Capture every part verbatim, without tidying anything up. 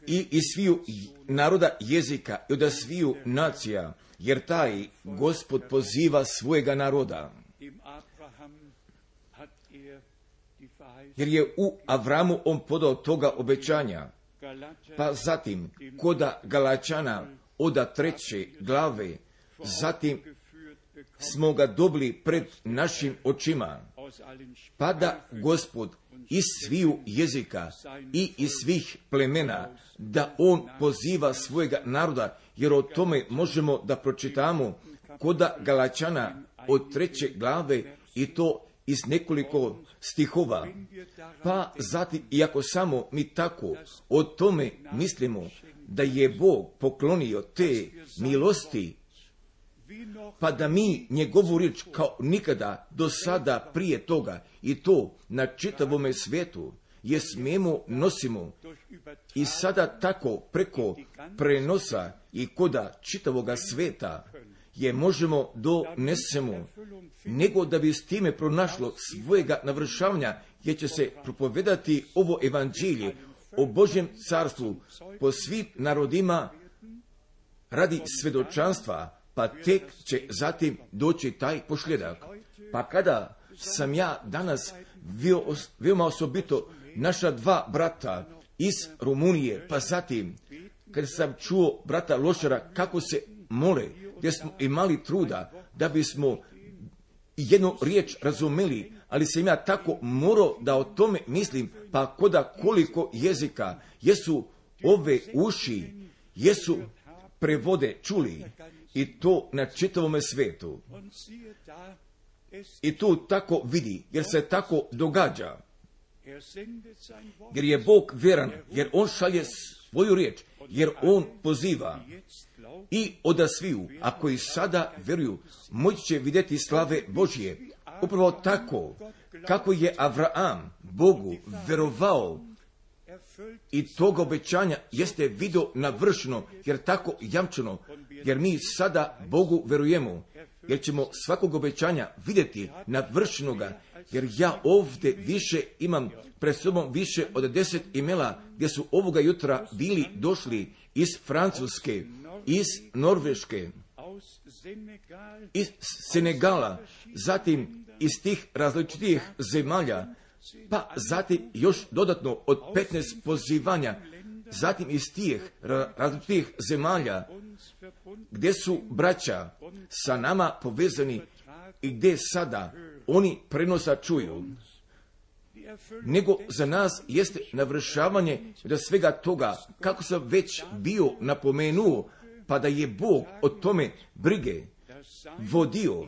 i iz sviju naroda jezika i od sviju nacija, jer taj Gospod poziva svojega naroda. Jer je u Avramu on podao toga obećanja. Pa zatim, koda Galačana oda treće glave, zatim smo ga dobili pred našim očima. Pa da Gospod iz sviju jezika i iz svih plemena, da on poziva svojega naroda, jer o tome možemo da pročitamo koda Galačana od treće glave i to iz nekoliko stihova. Pa zatim, iako samo mi tako o tome mislimo, da je Bog poklonio te milosti, pa da mi njegovu riječ kao nikada do sada prije toga i to na čitavome svijetu je smemo nosimo i sada tako preko prenosa i koda čitavoga svijeta je možemo donesemo, nego da bi s time pronašlo svojega navršavanja, jer će se propovedati ovo evanđelje o Božjem carstvu po svim narodima radi svjedočanstva, pa tek će zatim doći taj pošljedak. Pa kada sam ja danas veoma osobito naša dva brata iz Rumunije, pa zatim kad sam čuo brata Lošara kako se mole, gdje smo imali truda da bismo jednu riječ razumeli, ali sam ja tako morao da o tome mislim, pa koda koliko jezika jesu ove uši, jesu prevode čuli, i to na čitavome svijetu. I tu tako vidi, jer se tako događa. Jer je Bog vjeran, jer on šalje svoju riječ, jer on poziva. I oda sviju, ako i sada vjeruju, moći će vidjeti slave Božje. Upravo tako, kako je Avraam Bogu vjerovao, i tog obećanja jeste vidio navršeno, jer tako jamčeno, jer mi sada Bogu vjerujemo, jer ćemo svakog obećanja vidjeti navršenoga, jer ja ovdje više imam pred sobom više od deset imela, gdje su ovoga jutra bili došli iz Francuske, iz Norveške, iz Senegala, zatim iz tih različitih zemalja, pa zatim još dodatno od petnaest pozivanja, zatim iz tih različitih zemalja, gdje su braća sa nama povezani i gdje sada oni prenosa čuju. Nego za nas jeste navršavanje da svega toga, kako sam već bio napomenuo, pa da je Bog o tome brige vodio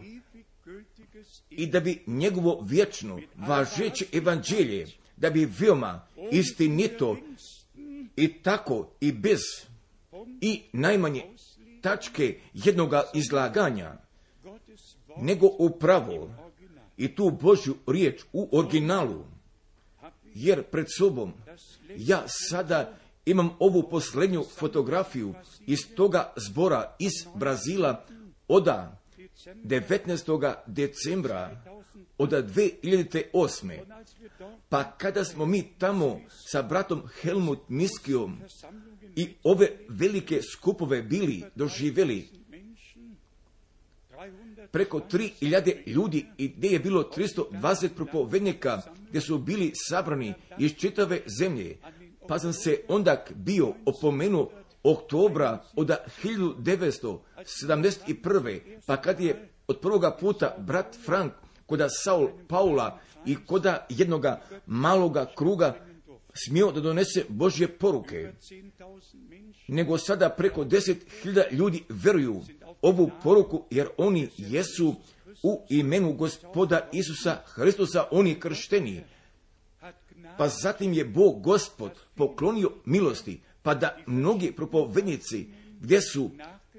i da bi njegovo vječno važeće evanđelje, da bi veoma istinito i tako i bez i najmanje tačke jednoga izlaganja, nego upravo i tu Božju riječ u originalu, jer pred sobom ja sada imam ovu posljednju fotografiju iz toga zbora iz Brazila oda devetnaestog decembra od dvije hiljade osme. Pa kada smo mi tamo sa bratom Helmut Miskijom i ove velike skupove bili doživjeli, preko tri hiljade ljudi i gdje je bilo tristo dvadeset propovednika, gdje su bili sabrani iz čitave zemlje, pa sam se onda bio opomenuo oktobra od hiljadu devetsto sedamdeset prve. pa kad je od prvoga puta brat Frank koda Saul Paula i koda jednoga maloga kruga smio da donese Božje poruke, nego sada preko deset hiljada ljudi vjeruju ovu poruku, jer oni jesu u imenu Gospoda Isusa Hristusa oni kršteni. Pa zatim je Bog Gospod poklonio milosti, pa da mnogi propovednici, gdje su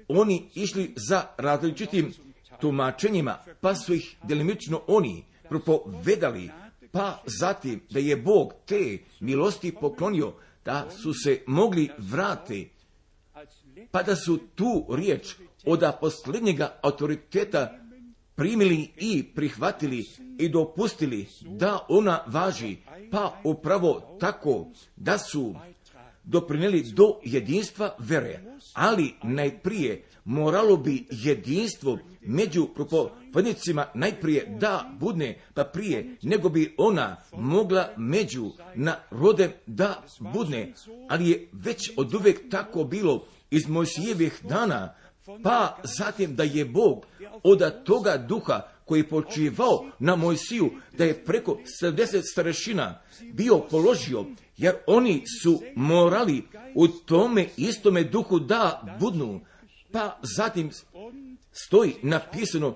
oni išli za različitim tumačenjima, pa su ih delimično oni propovedali, pa zatim da je Bog te milosti poklonio, da su se mogli vrati, pa da su tu riječ od posljednjega autoriteta primili i prihvatili i dopustili da ona važi, pa upravo tako da su doprinijeli do jedinstva vere, ali najprije moralo bi jedinstvo među propovednicima najprije da budne, pa prije nego bi ona mogla među narodem da budne, ali je već od uvijek tako bilo iz Mojsijevih dana, pa zatim da je Bog od toga duha koji je počivao na Mojsiju, da je preko sedamdeset starešina bio položio, jer oni su morali u tome istome duhu da budnu, pa zatim stoji napisano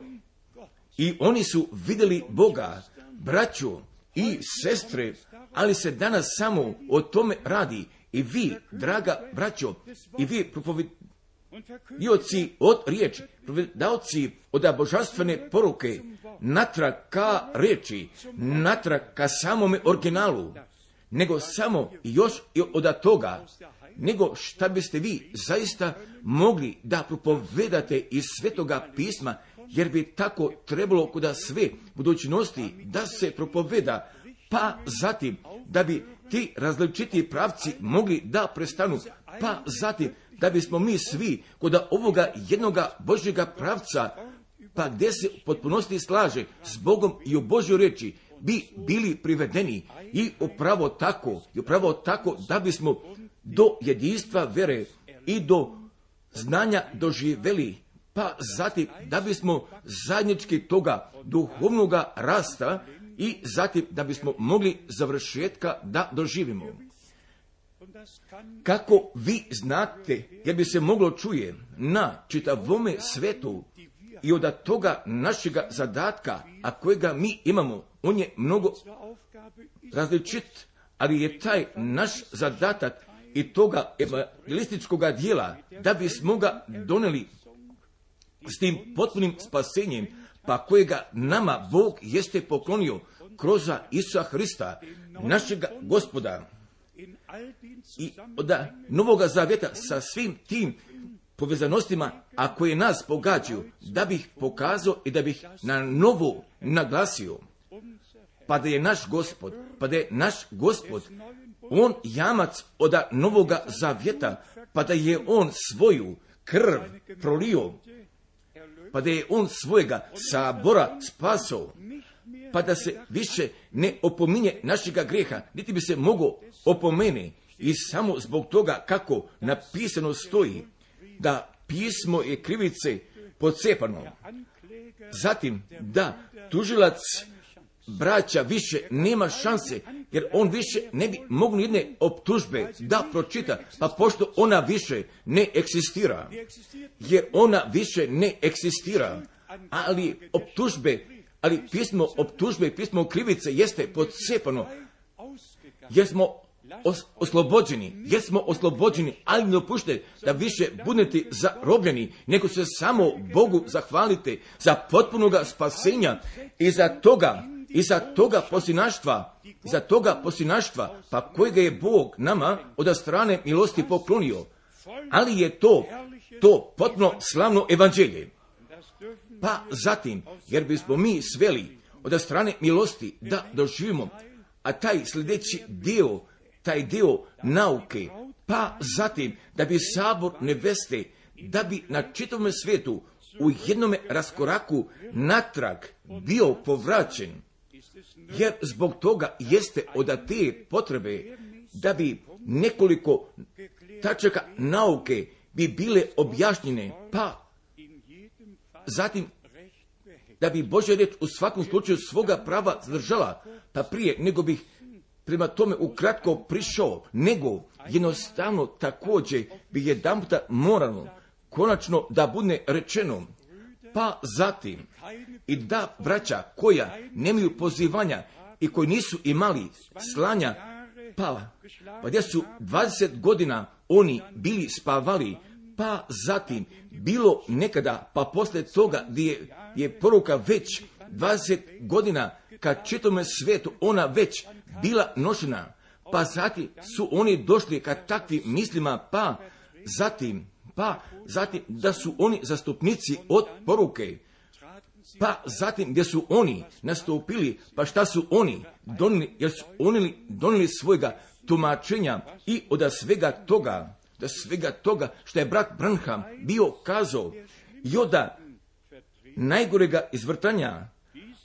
i oni su vidjeli Boga, braćo i sestre, ali se danas samo o tome radi. I vi, draga braćo, i vi propovedioci od riječi, propovedioci od božanstvene poruke, natrag ka riječi, natrag ka samome originalu, nego samo još i od toga, nego šta biste vi zaista mogli da propovedate iz Svetoga pisma, jer bi tako trebalo kuda sve budućnosti da se propoveda, pa zatim da bi ti različiti pravci mogli da prestanu, pa zatim da bismo mi svi kod ovoga jednoga Božjega pravca, pa gdje se u potpunosti slaže s Bogom i u Božjoj riječi, bi bili privedeni i upravo tako, i upravo tako da bismo do jedinstva vere i do znanja doživjeli, pa zatim da bismo zajednički toga duhovnoga rasta i zatim da bismo mogli završetka da doživimo. Kako vi znate, jer bi se moglo čuje na čitavome svetu i od toga našega zadatka, a kojega mi imamo, on je mnogo različit, ali je taj naš zadatak i toga evangelističkoga dijela, da bismo ga doneli s tim potpunim spasenjem, pa kojega nama Bog jeste poklonio kroz Isusa Hrista, našega Gospoda. I od Novoga Zavjeta sa svim tim povezanostima, a koje nas pogađaju, da bih pokazao i da bih na novo naglasio, pa da je naš Gospod, pa da je naš Gospod, on jamac od Novoga Zavjeta, pa da je on svoju krv prolio, pa da je on svojega sabora spasao, pa da se više ne opominje našega grijeha, niti bi se mogao opomene, i samo zbog toga kako napisano stoji, da pismo je krivice pocepano. Zatim da tužilac braća više nema šanse, jer on više ne bi mogao jedne optužbe da pročita, pa pošto ona više ne eksistira, jer ona više ne eksistira, ali optužbe, ali pismo optužbe i pismo krivice jeste pocepano, jer smo os- oslobođeni, jer smo oslobođeni, ali ne dopušte da više budete zarobljeni, nego se samo Bogu zahvalite za potpunoga spasenja i za toga, i za toga posinaštva, za toga posinaštva, pa kojega je Bog nama od strane milosti poklonio. Ali je to, to potpuno slavno evanđelje. Pa zatim, jer bismo mi sveli od strane milosti da doživimo, a taj sljedeći dio, taj dio nauke, pa zatim da bi sabor neveste, da bi na čitavom svijetu u jednome raskoraku natrag bio povraćen, jer zbog toga jeste od te potrebe da bi nekoliko tačaka nauke bi bile objašnjene, pa zatim da bi Božja riječ u svakom slučaju svoga prava zadržala, pa prije nego bih prema tome ukratko prišao, nego jednostavno također bi jedanputa moralo konačno da bude rečeno, pa zatim i da braća koja nemaju pozivanja i koji nisu imali slanja, pa, pa gdje su dvadeset godina oni bili spavali, pa zatim bilo nekada, pa poslije toga gdje je, je poruka već dvadeset godina kad čitome svijetu ona već bila nošena, pa zatim su oni došli kad takvim mislima, pa zatim, pa zatim da su oni zastupnici od poruke, Pa zatim gdje su oni nastupili, pa šta su oni donijeli, jer su oni donijeli svojega tumačenja i od svega toga, da svega toga što je brat Branham bio kazao i od najgorega izvrtanja,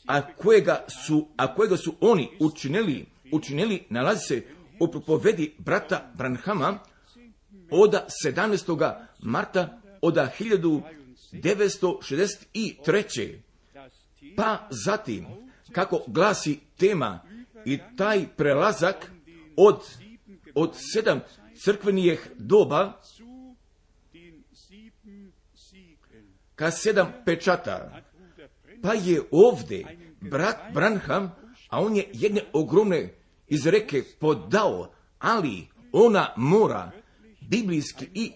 a kojega su, a kojega su oni učinili, učinili nalazi se u propovedi brata Branhama od sedamnaestog marta od hiljadu devetsto šezdeset treće. Pa zatim, kako glasi tema i taj prelazak od, od sedam crkvenih doba ka sedam pečata, pa je ovdje brat Branham, a on je jedne ogromne izreke podao, ali ona mora biblijski i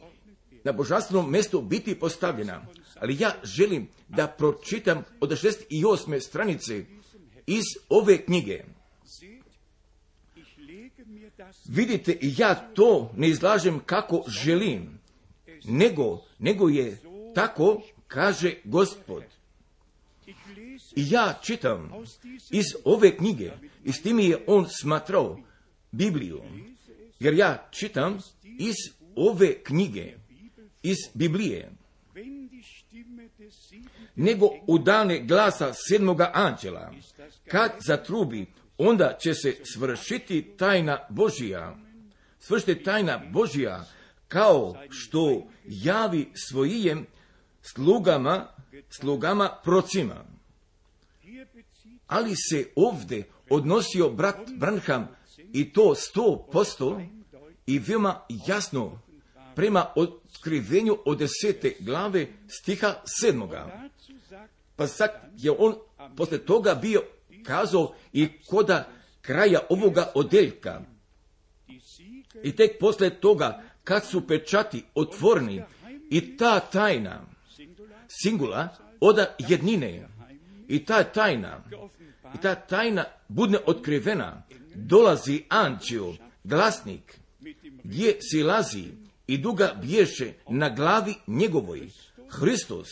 na božanstvenom mjestu biti postavljena. Ali ja želim da pročitam od šezdeset osme stranice iz ove knjige. Vidite, ja to ne izlažem kako želim, nego, nego je tako, kaže Gospod. I ja čitam iz ove knjige, i s tim je on smatrao Bibliju, jer ja čitam iz ove knjige, iz Biblije, nego u dane glasa sedmoga anđela, kad zatrubi, onda će se svršiti tajna Božija, svršiti tajna Božija, kao što javi svojim slugama, slugama procima. Ali se ovdje odnosio brat Branham i to sto posto i veoma jasno prema otkrivenju od desete glave stiha sedmoga. Pa sad je on posle toga bio kazao i koda kraja ovoga odeljka. I tek posle toga, kad su pečati otvoreni i ta tajna, singula, oda jednine, i ta tajna, i ta tajna budne otkrivena, dolazi anđeo, glasnik, gdje silazi i duga bješe na glavi njegovoj, Hristos,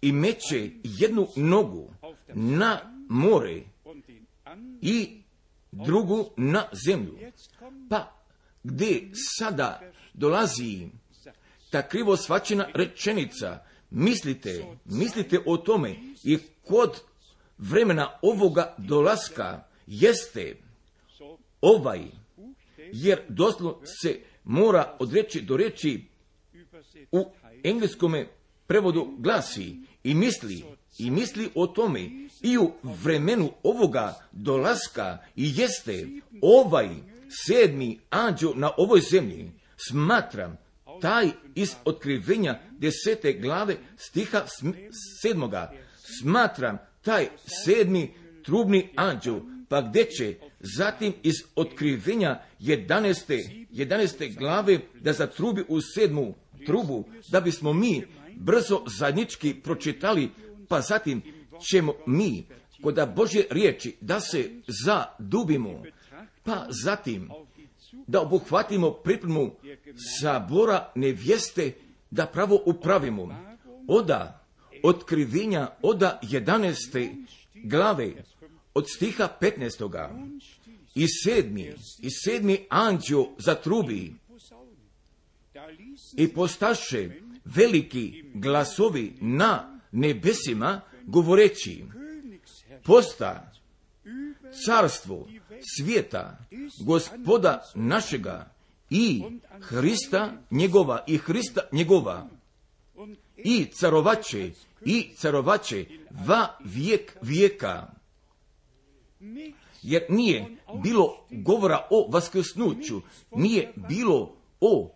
i meće jednu nogu na more i drugu na zemlju. Pa gdje sada dolazi ta krivo shvaćena rečenica, mislite, mislite o tome i kod vremena ovoga dolaska jeste ovaj, jer doslovno se mora od reči do reči u engleskome prevodu glasi i misli, i misli o tome i u vremenu ovoga dolaska i jeste ovaj sedmi anđeo na ovoj zemlji. Smatram taj iz otkrivenja desete glave stiha sedmoga, smatram taj sedmi trubni anđeo, pa gdje će zatim iz otkrivenja jedaneste, jedaneste glave da zatrubi u sedmu trubu, da bismo mi brzo zajednički pročitali, pa zatim ćemo mi kod Božje riječi da se zadubimo, pa zatim da obuhvatimo pripremu sabora nevjeste, da pravo upravimo. Oda otkrivenja, oda jedaneste glave, od stiha petnaestoga i sedmi, i sedmi anđeo zatrubi i postaše veliki glasovi na nebesima, govoreći, posta carstvo svijeta, Gospoda našega i Hrista njegova, i Hrista njegova, i carovače, i carovače va vijek vijeka. Jer nije bilo govora o vaskrsnuću, nije bilo o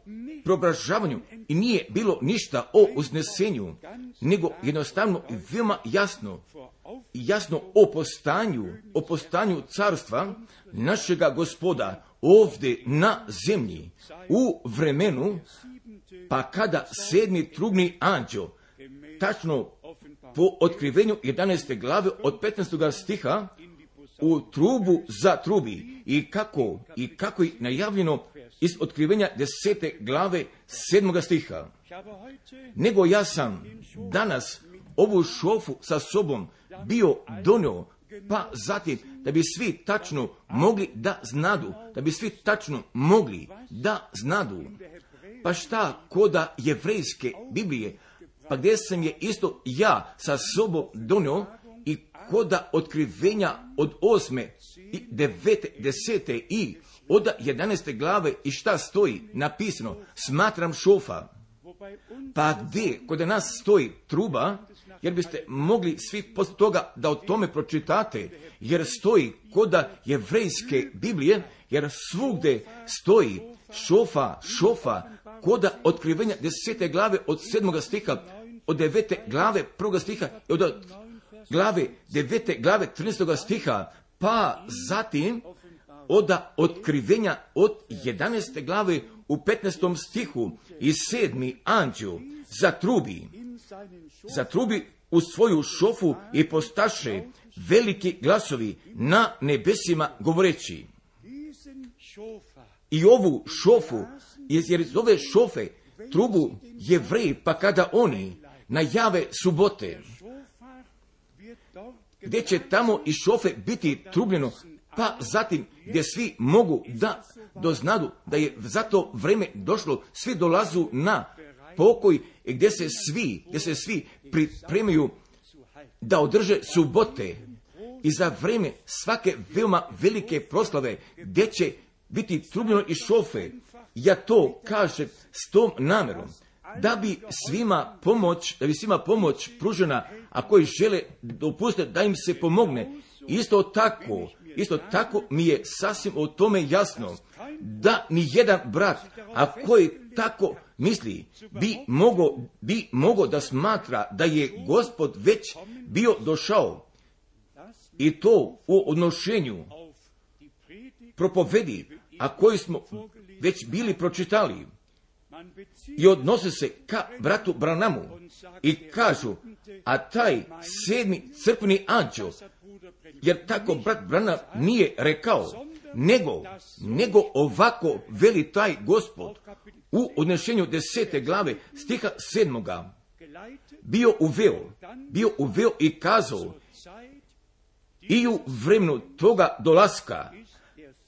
preobražavanju i nije bilo ništa o uznesenju, nego jednostavno i veoma jasno, jasno o postanju, o postanju carstva našega Gospoda ovdje na zemlji, u vremenu, pa kada sedmi trubni anđeo, tačno po otkrivenju jedanaeste glave od petnaestog stiha, u trubu zatrubi i kako, i kako je najavljeno iz otkrivenja desete glave sedmoga stiha. Nego ja sam danas ovu šofu sa sobom bio donio, pa zatim da bi svi tačno mogli da znadu, da bi svi tačno mogli da znadu. Pa šta koda jevrejske Biblije, pa gdje sam je isto ja sa sobom donio i koda otkrivenja od osme i devete, desete i od jedanaeste glave i šta stoji napisano, smatram šofa. Pa gdje kod nas stoji truba, jer biste mogli svi poslije toga da o tome pročitate, jer stoji koda jevrejske Biblije, jer svugde stoji šofa, šofa, koda otkrivenja desete glave od sedmoga stiha, od devete glave prvoga stiha, od glave devete glave trinaestoga stiha, pa zatim od otkrivenja od jedanaeste glave u petnaestom stihu i sedmi anđeo zatrubi, zatrubi u svoju šofu i postaše veliki glasovi na nebesima govoreći. I ovu šofu, jer iz ove šofe trubu Jevreji, pa kada oni najave subote, gdje će tamo iz šofe biti trubljeno, pa zatim gdje svi mogu da doznadu da je za to vreme došlo, svi dolazu na pokoj, gdje se svi, gdje se svi pripremaju da održe subote i za vreme svake veoma velike proslave, gdje će biti trubljeno iz šofe. Ja to kažem s tom namjerom, da bi svima pomoć, da bi svima pomoć pružena, a koji žele dopustiti da im se pomogne. Isto tako, isto tako mi je sasvim o tome jasno, da ni jedan brat, a koji tako misli, bi mogo, bi mogo da smatra da je Gospod već bio došao, i to u odnošenju propovedi, a koji smo već bili pročitali, i odnose se ka bratu Branamu i kažu, a taj sedmi crkveni anđeo, jer tako brat Branham nije rekao, nego, nego ovako veli taj Gospod u odnešenju desete glave stiha sedmoga, bio uveo, bio uveo i kazao, i u vremenu toga dolaska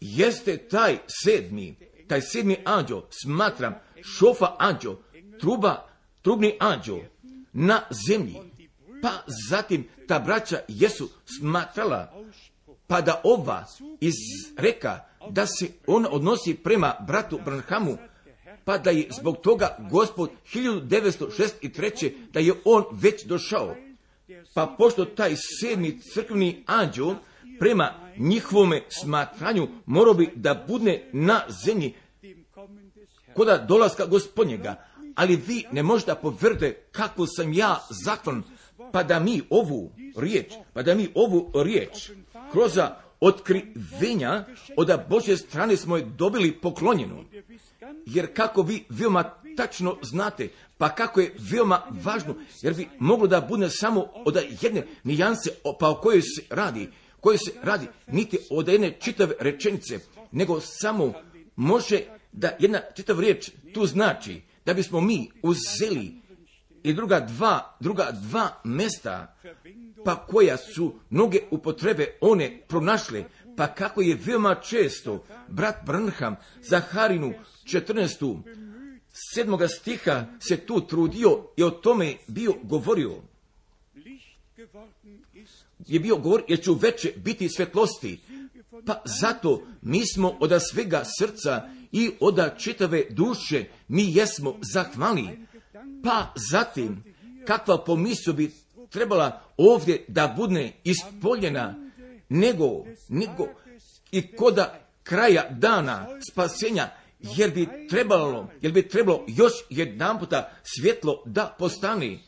jeste taj sedmi, taj sedmi anđeo, smatram šofa anđeo, truba, trubni anđeo na zemlji. Pa zatim ta braća jesu smatrala, pa da ova izreka da se on odnosi prema bratu Branhamu, pa da je zbog toga Gospod hiljadu devetsto šezdeset treće da je on već došao. Pa pošto taj sedmi crkveni anđeo prema njihovome smatranju morao bi da bude na zemlji koda dolaska Gospodnjega, ali vi ne možete povrde kako sam ja zakon, pa da mi ovu riječ, pa da mi ovu riječ kroz otkrivenja od Božje strane smo je dobili poklonjenu. Jer kako vi veoma tačno znate, pa kako je veoma važno, jer bi moglo da bude samo od jedne nijanse, pa o kojoj se radi, koje se radi niti od jedne čitave rečenice, nego samo može da jedna čitava riječ tu znači da bismo mi uzeli i druga dva, druga dva mesta, pa koja su mnoge upotrebe one pronašle, pa kako je veoma često brat Branham za Harinu četrnaestu sedmoga stiha se tu trudio i o tome bio govorio. Je bio govor, jer će uveče biti svjetlosti. Pa zato mi smo od svega srca i od čitave duše mi jesmo zahvalni. Pa zatim, kakva pomisao bi trebala ovdje da bude ispoljena, nego, nego i koda kraja dana spasenja, jer bi trebalo, jer bi trebalo još jedan puta svjetlo da postane.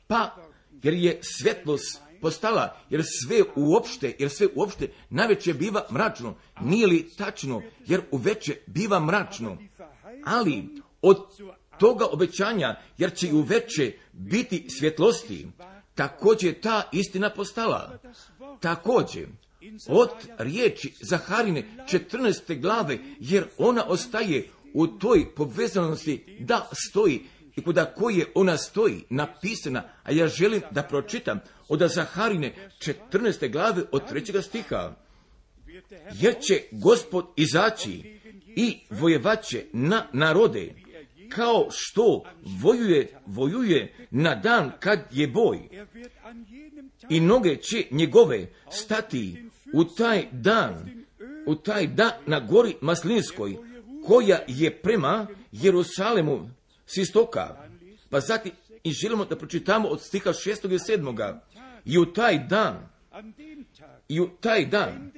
Pa, jer je svjetlost postala, jer sve uopšte, jer sve uopšte najveće biva mračno. Nije li tačno, jer uveče biva mračno. Ali od toga obećanja, jer će i uveče biti svjetlosti, također ta istina postala. Također, od riječi Zaharine četrnaeste glave, jer ona ostaje u toj povezanosti da stoji, i kuda koje ona stoji, napisana, a ja želim da pročitam od Zaharine četrnaeste glave od trećega stiha. Jer će Gospod izaći i vojevaće na narode, kao što vojuje, vojuje na dan kad je boj. I noge će njegove stati u taj dan, u taj dan na gori Maslinskoj, koja je prema Jerusalemu s istoka. Pa zatim i želimo da pročitamo od stiha šestog i sedmoga. I u taj dan, i u taj dan,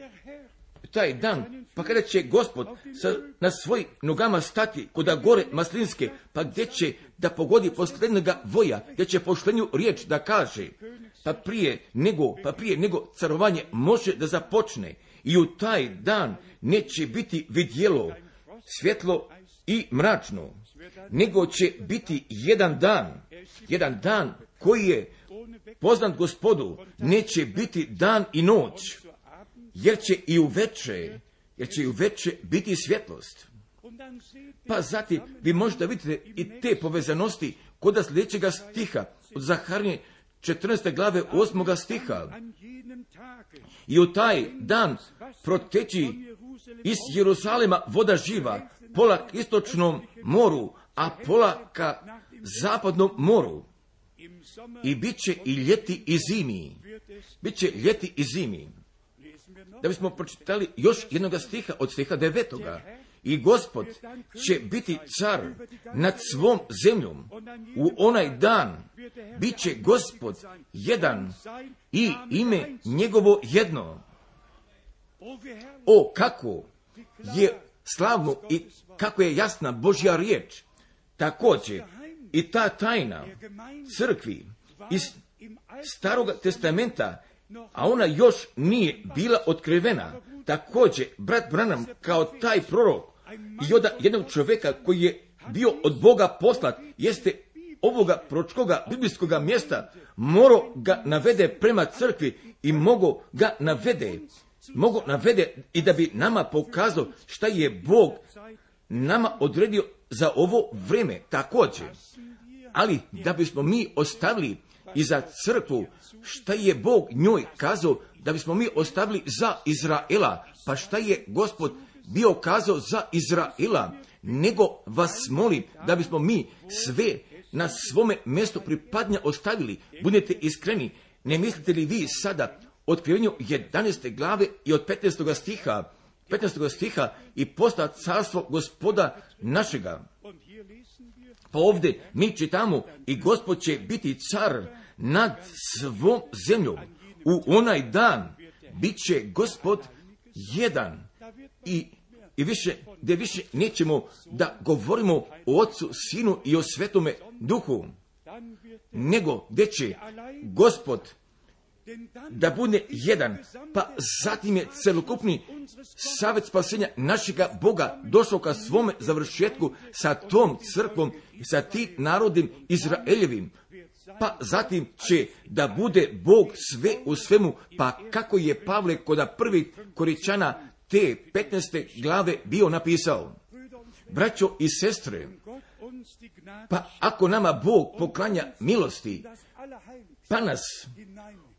taj dan, pa kada će Gospod sa, na svojim nogama stati kuda gore Maslinske, pa gdje će da pogodi posljednjega voja, gdje će poštenju riječ da kaže, pa prije nego, pa prije nego carovanje može da započne, i u taj dan neće biti vidjelo svjetlo i mračno, nego će biti jedan dan, jedan dan koji je poznat Gospodu, neće biti dan i noć, jer će i u veče, jer će i u veče biti svjetlost. Pa zatim vi možete vidjeti i te povezanosti kod sljedećega stiha, od Zaharine četrnaeste glave osmoga stiha. I u taj dan proteći iz Jerusalema voda živa, pola k istočnom moru, a pola ka zapadnom moru. I bit će i ljeti i zimi. Biće ljeti i zimi. Da bismo pročitali još jednog stiha od stiha devetoga. I Gospod će biti car nad svom zemljom. U onaj dan bit će Gospod jedan i ime njegovo jedno. O, kako je slavno i kako je jasna Božja riječ. Također i ta tajna crkvi iz Staroga testamenta, a ona još nije bila otkrivena. Također, brat Branham kao taj prorok i od jednog čovjeka koji je bio od Boga poslat, jeste ovoga proročkoga biblijskoga mjesta, morao ga navede prema crkvi i mogo ga navede, mogo navede i da bi nama pokazao šta je Bog nama odredio za ovo vrijeme također. Ali da bismo mi ostavili i za crkvu šta je Bog njoj kazao, da bismo mi ostavili za Izraela, pa šta je Gospod bio kazao za Izraela, nego vas molim da bismo mi sve na svome mjestu pripadnja ostavili. Budete iskreni, ne mislite li vi sada o otkrivenju jedanaeste glave i od petnaestog stiha, petnaestog stiha i posta carstvo Gospoda našega. Pa ovdje mi čitamo i Gospod će biti car nad svom zemljom. U onaj dan bit će Gospod jedan i, i više, gdje više nećemo da govorimo o Otcu, Sinu i o Svetome Duhu, nego gdje će Gospod da bude jedan, pa zatim je celokupni savjet spasenja našega Boga došao ka svome završetku sa tom crkvom i sa tim narodim Izraeljevim. Pa zatim će da bude Bog sve u svemu, pa kako je Pavle kod prvih Koričana te petnaeste glave bio napisao. Braćo i sestre, pa ako nama Bog poklanja milosti, pa nas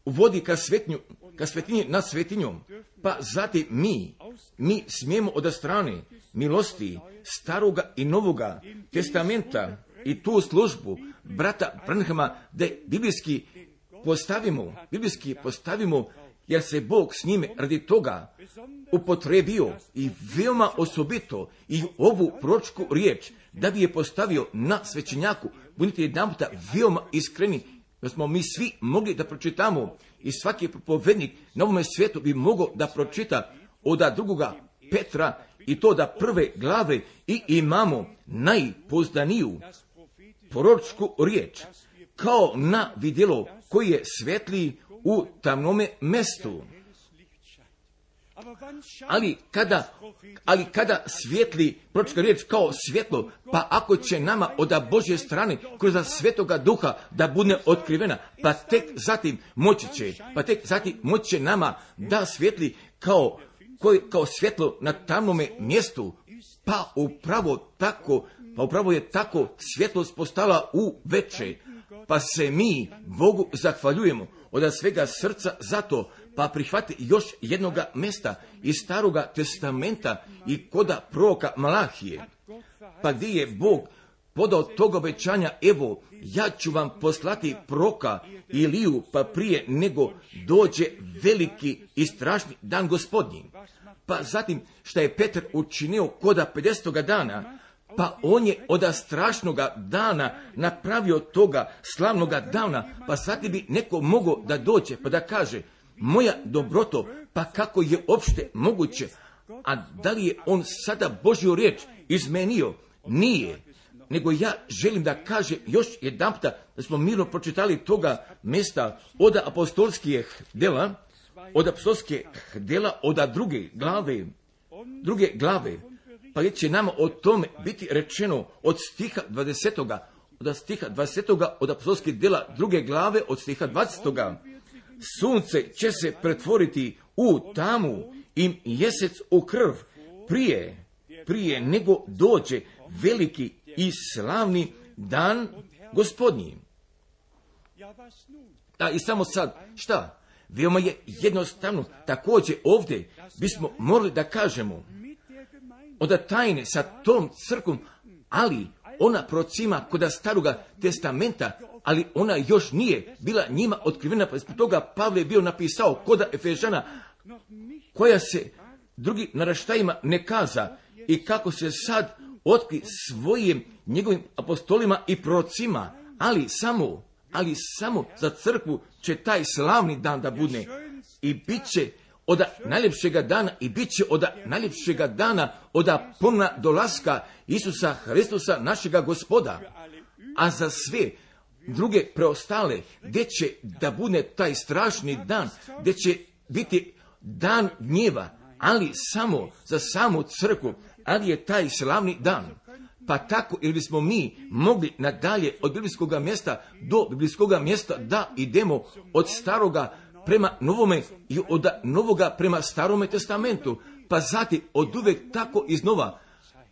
uvodi ka svetinju, ka svetinji nad svetinjom, pa zatim mi, mi smijemo od strane milosti staroga i novoga testamenta i tu službu brata Branhama da biblijski postavimo, biblijski postavimo, jer se Bog s njime radi toga upotrebio i veoma osobito i ovu proročku riječ da bi je postavio na svećenjaku. Budite jedanputa veoma iskreni, da smo mi svi mogli da pročitamo i svaki propovednik na ovome svijetu bi mogao da pročita od drugoga Petra i to da prve glave i imamo najpoznaniju proročku riječ kao na vidjelo koji je svetli u tamnome mestu. Ali kada, ali kada svijetli proročka riječ kao svjetlo, pa ako će nama od Božje strane kroz Svetoga Duha da bude otkrivena, pa tek zatim moći će, pa tek zatim moći će nama da svijetli kao, kao svjetlo na tamnome mjestu, pa upravo tako, pa upravo je tako svjetlost postala u veče, pa se mi Bogu zahvaljujemo od svega srca za to, pa prihvati još jednoga mjesta iz Staroga testamenta i koda proroka Malahije, pa gdje je Bog podao tog obećanja, evo, ja ću vam poslati proroka Iliju, pa prije nego dođe veliki i strašni dan Gospodnji. Pa zatim šta je Petar učinio koda pedesetoga dana, pa on je od strašnoga dana napravio toga slavnoga dana, pa sad bi neko mogao da dođe pa da kaže, moja dobroto, pa kako je opšte moguće, a da li je on sada Božju riječ izmenio? Nije. Nego ja želim da kaže još jedanputa da smo mirno pročitali toga mjesta od apostolskih dela, od apostolskih dela, od druge glave, druge glave, pa gdje će nama o tome biti rečeno od stiha dvadesetoga, od stiha dvadesetoga, od apostolskih dela druge glave, od stiha dvadesetoga. Sunce će se pretvoriti u tamu i mjesec u krv prije, prije nego dođe veliki i slavni dan Gospodnji. A i samo sad, šta? Veoma je jednostavno, također ovdje bismo morali da kažemo, od tajne sa tom crkvom, ali ona procima kod Staroga testamenta, ali ona još nije bila njima otkrivena, pa zbog toga Pavle je bio napisao koda Efežana, koja se drugi naraštajima ne kaza i kako se sad otkri svojim njegovim apostolima i prorocima, ali samo, ali samo za crkvu će taj slavni dan da bude i bit će od najljepšega dana i bit će od najljepšega dana od ponovna dolaska Isusa Hristusa našega Gospoda, a za sve druge preostale gdje će da bude taj strašni dan, gdje će biti dan gnjeva, ali samo za samu crkvu, ali je taj slavni dan. Pa tako ili bismo mi mogli nadalje od biblijskog mjesta do biblijskog mjesta da idemo od staroga prema novome i od novoga prema starome testamentu, pa zatim od uvek tako iznova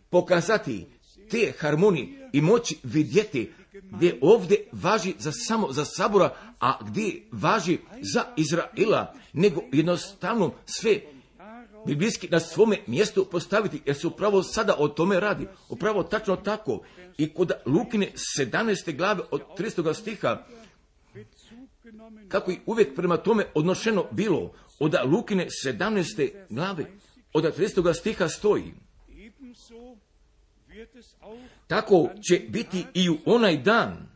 pokazati te harmonije i moći vidjeti gdje ovdje važi za samo za Sabora, a gdje važi za Izraela, nego jednostavno sve biblijski na svome mjestu postaviti, jer se upravo sada o tome radi. Upravo tačno tako. I kod Lukine sedamnaeste glave od tridesetog stiha, kako i uvijek prema tome odnošeno bilo, od Lukine sedamnaeste glave od tridesetog stiha stoji, tako će biti i u onaj dan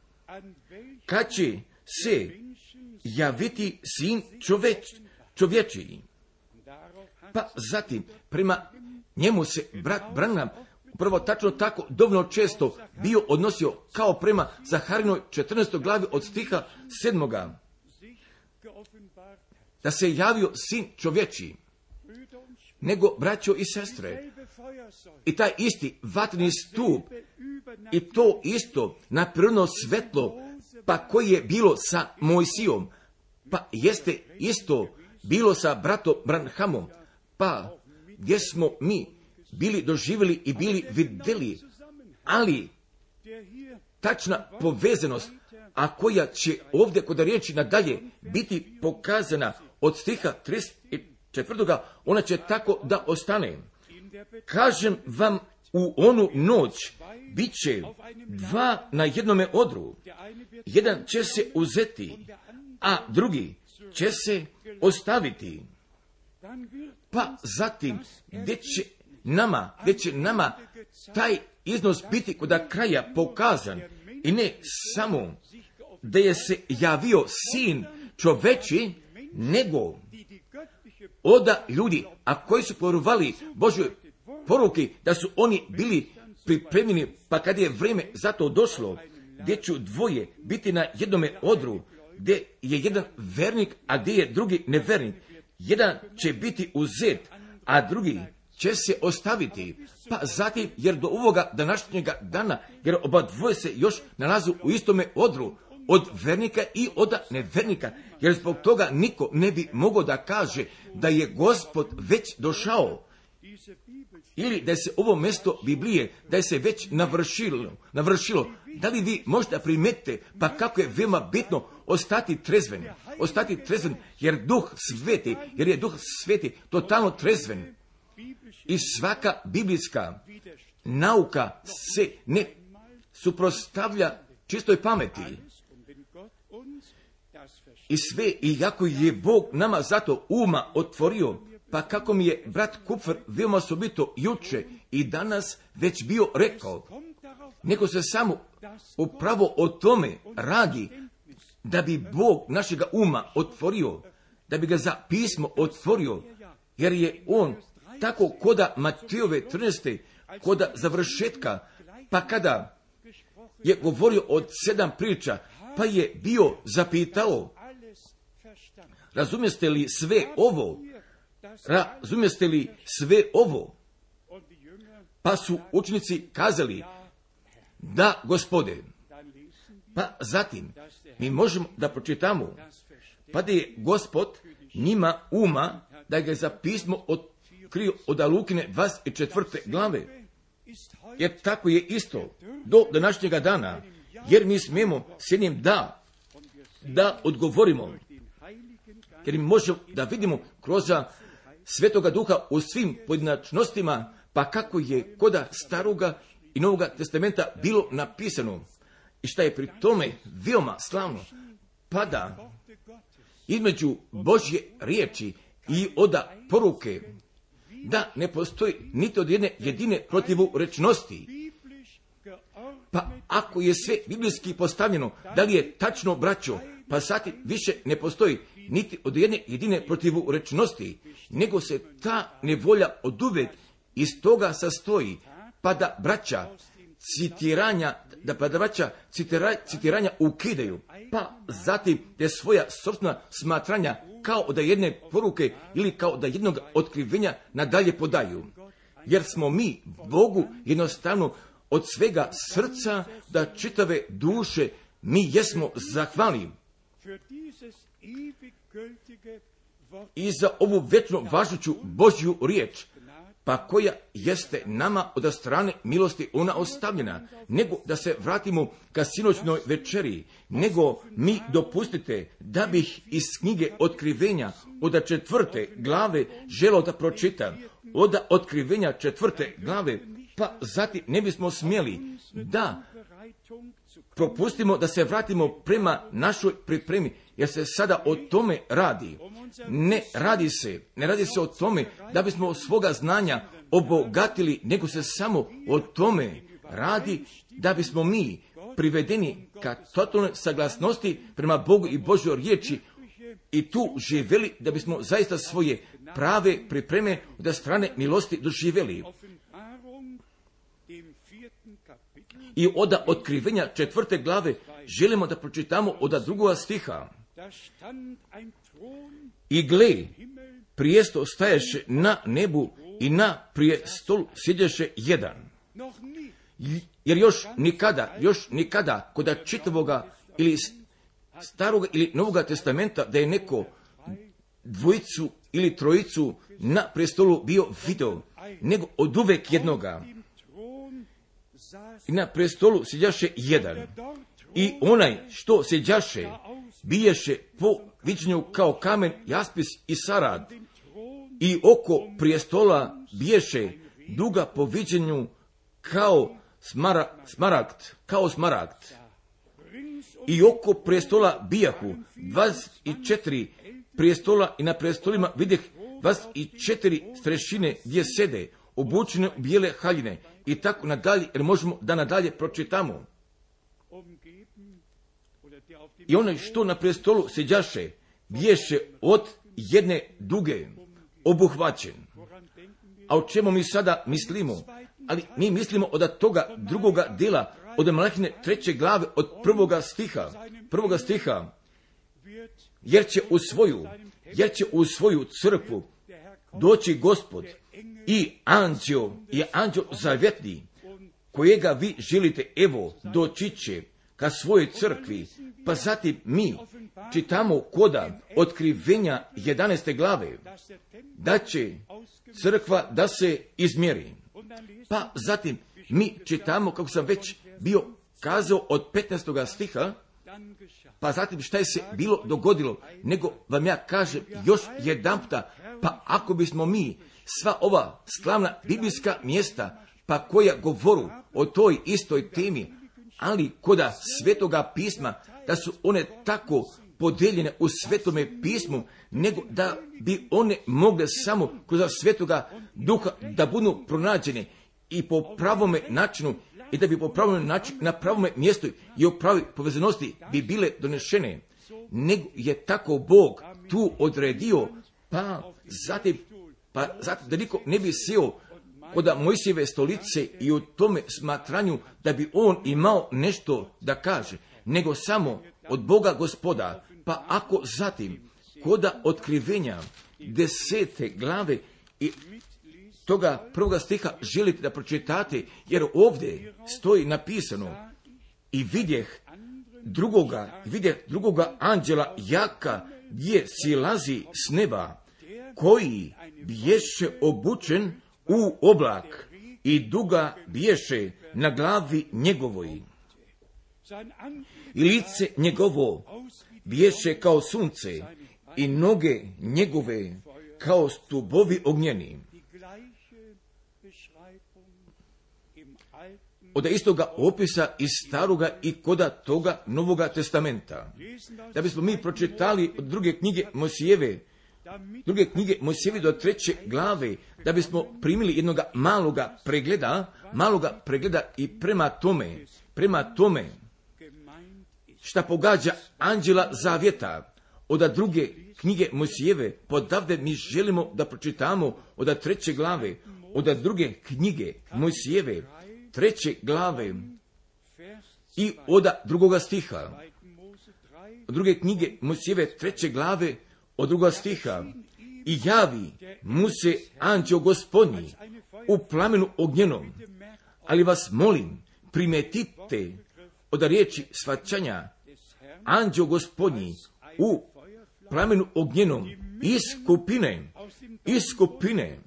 kad će se javiti sin čoveč, čovječiji. Pa zatim, prema njemu se brat Branham upravo tačno tako dovoljno često bio odnosio kao prema Zaharinoj četrnaestoj glavi od stiha sedmoga. Da se javio sin čovječiji. Nego, braćo i sestre, i taj isti vatreni stup, i to isto naprirodno svetlo, pa koji je bilo sa Mojsijom, pa jeste isto bilo sa bratom Branhamom, pa gdje smo mi bili doživjeli i bili vidjeli, ali tačna povezanost, a koja će ovdje kod riječi nadalje biti pokazana od stiha trideset četvrtog ona će tako da ostane. Kažem vam, u onu noć bit će dva na jednome odru, jedan će se uzeti, a drugi će se ostaviti. Pa zatim, gdje će nama, gdje će nama taj iznos biti kod kraja pokazan, i ne samo da je se javio sin čoveči, nego oda ljudi, a koji su povjerovali Božjoj poruki, da su oni bili pripremljeni, pa kad je vrijeme za to došlo, gdje će dvoje biti na jednome odru, gdje je jedan vernik, a gdje je drugi nevernik. Jedan će biti uzet, a drugi će se ostaviti. Pa zatim, jer do ovoga današnjega dana, jer oba dvoje se još nalazu u istome odru, od vernika i od nevernika, jer zbog toga niko ne bi mogao da kaže da je Gospod već došao. ili da se ovo mjesto Biblije, da je se već navršilo, navršilo. Da li vi možete primetiti pa kako je veoma bitno ostati trezven, ostati trezven, jer Duh Sveti, jer je Duh Sveti totalno trezven. I svaka biblijska nauka se ne suprotstavlja čistoj pameti. I sve, i jako je Bog nama zato uma otvorio, pa kako mi je brat Kupfer veoma osobito juče i danas već bio rekao, nego se samo upravo o tome radi, da bi Bog našega uma otvorio, da bi ga za pismo otvorio, jer je on tako koda Matejove trinaeste, koda završetka, pa kada je govorio od sedam priča, pa je bio zapitao, razumijeste li sve ovo? Razumijeste li sve ovo? Pa su učenici kazali, da, Gospode. Pa zatim, mi možemo da pročitamo, pa da je Gospod njima uma, da ga je za pismo otkrio od Lukine dvadeset četvrte glave. Jer tako je isto do današnjega dana, jer mi smijemo s jednim da, da odgovorimo, jer mi možemo da vidimo kroz Svetoga Duha u svim pojedinačnostima, pa kako je koda Staroga i Novoga testamenta bilo napisano. I šta je pri tome veoma slavno, pa da između Božje riječi i oda poruke, da ne postoji niti od jedne jedine protivurečnosti. Pa ako je sve biblijski postavljeno, da li je tačno, braćo, pa sati više ne postoji niti od jedne jedine protivurečnosti, nego se ta nevolja oduvek iz toga sastoji, pa da braća citiranja, da pa da braća citira, citiranja ukidaju, pa zatim te svoja sopstvena smatranja kao da jedne poruke ili kao da jednog otkrivenja nadalje podaju. Jer smo mi Bogu jednostavno od svega srca, da čitave duše mi jesmo zahvalni i za ovu večno važuću Božju riječ, pa koja jeste nama od strane milosti ona ostavljena, nego da se vratimo ka sinoćnoj večeri, nego mi dopustite da bih iz knjige Otkrivenja od četvrte glave želio da pročitam, od Otkrivenja četvrte glave, pa zatim ne bismo smjeli da propustimo da se vratimo prema našoj pripremi, jer se sada o tome radi. Ne radi se, ne radi se o tome da bismo svoga znanja obogatili, nego se samo o tome radi da bismo mi privedeni ka totalnoj saglasnosti prema Bogu i Božjoj riječi i tu živjeli, da bismo zaista svoje prave pripreme od strane milosti doživjeli. I od Otkrivenja četvrte glave želimo da pročitamo od drugoga stiha. I gle, prijesto staješe na nebu i na prijestolu sjedeše jedan. Jer još nikada, još nikada kod čitavoga ili staroga ili novoga testamenta da je neko dvojicu ili trojicu na prestolu bio video, nego od uvek jednoga. I na prestolu sjeđaše jedan. I onaj što sjeđaše, biješe po viđenju kao kamen, jaspis i sarad. I oko prijestola biješe duga po viđenju kao smara, smaragd, kao smaragd. I oko prijestola bijahu dvadeset četiri prijestola i na prijestolima vidjeh dvadeset četiri strešine gdje sede, obučene u bijele haljine i tako nadalje, jer možemo da nadalje pročitamo. I onaj što na prestolu sjeđaše, biješe od jedne duge obuhvaćen. A o čemu mi sada mislimo? Ali mi mislimo od toga drugoga dela, od Malahine treće glave, od prvoga stiha, prvoga stiha, jer će u svoju, jer će u svoju crkvu doći Gospod i anđeo, i anđeo zavjetni, kojega vi želite, evo, doći će ka svojoj crkvi. Pa zatim mi čitamo koda Otkrivenja jedanaeste glave, da će crkva da se izmjeri. Pa zatim mi čitamo, kako sam već bio kazao, od petnaestog stiha, pa zatim šta je se bilo dogodilo, nego vam ja kažem još jedanputa, pa ako bismo mi sva ova slavna biblijska mjesta, pa koja govoru o toj istoj temi, ali koda Svetoga pisma, da su one tako podijeljene u Svetome pismu, nego da bi one mogle samo kroz Svetoga Duha da budu pronađene i po pravome načinu, i da bi po pravom načinu, na pravome mjestu i u pravoj povezanosti bi bile donešene, nego je tako Bog tu odredio, pa zatim, pa zatim da niko ne bi sjeo kod Mojsijeve stolice i u tome smatranju da bi on imao nešto da kaže, nego samo od Boga Gospoda. Pa ako zatim koda otkrivenja desete glave i toga prvoga stiha želite da pročitate, jer ovdje stoji napisano: i vidjeh drugoga, vidjeh drugoga anđela jaka gdje silazi s neba, koji biješe obučen u oblak i duga biješe na glavi njegovoj. I lice njegovo biješe kao sunce i noge njegove kao stubovi ognjeni. Od istoga opisa iz staroga i koda toga Novoga testamenta. Da bismo mi pročitali od druge knjige Mojsijeve, druge knjige Mojsijeve do treće glave, da bismo primili jednoga maloga pregleda, maloga pregleda i prema tome, prema tome, šta pogađa anđela zavjeta. Od druge knjige Mojsijeve, podavde mi želimo da pročitamo od treće glave, od druge knjige Mojsijeve, treće glave i od drugoga stiha. Od druge knjige Mojsijeve, treće glave, od drugoga stiha. I javi mu se anđeo Gospodnji u plamenu ognjenom. Ali vas molim, primetite od riječi svaćanja, anđeo Gospodnji u plamenu ognjenom iz skupine, iz skupine.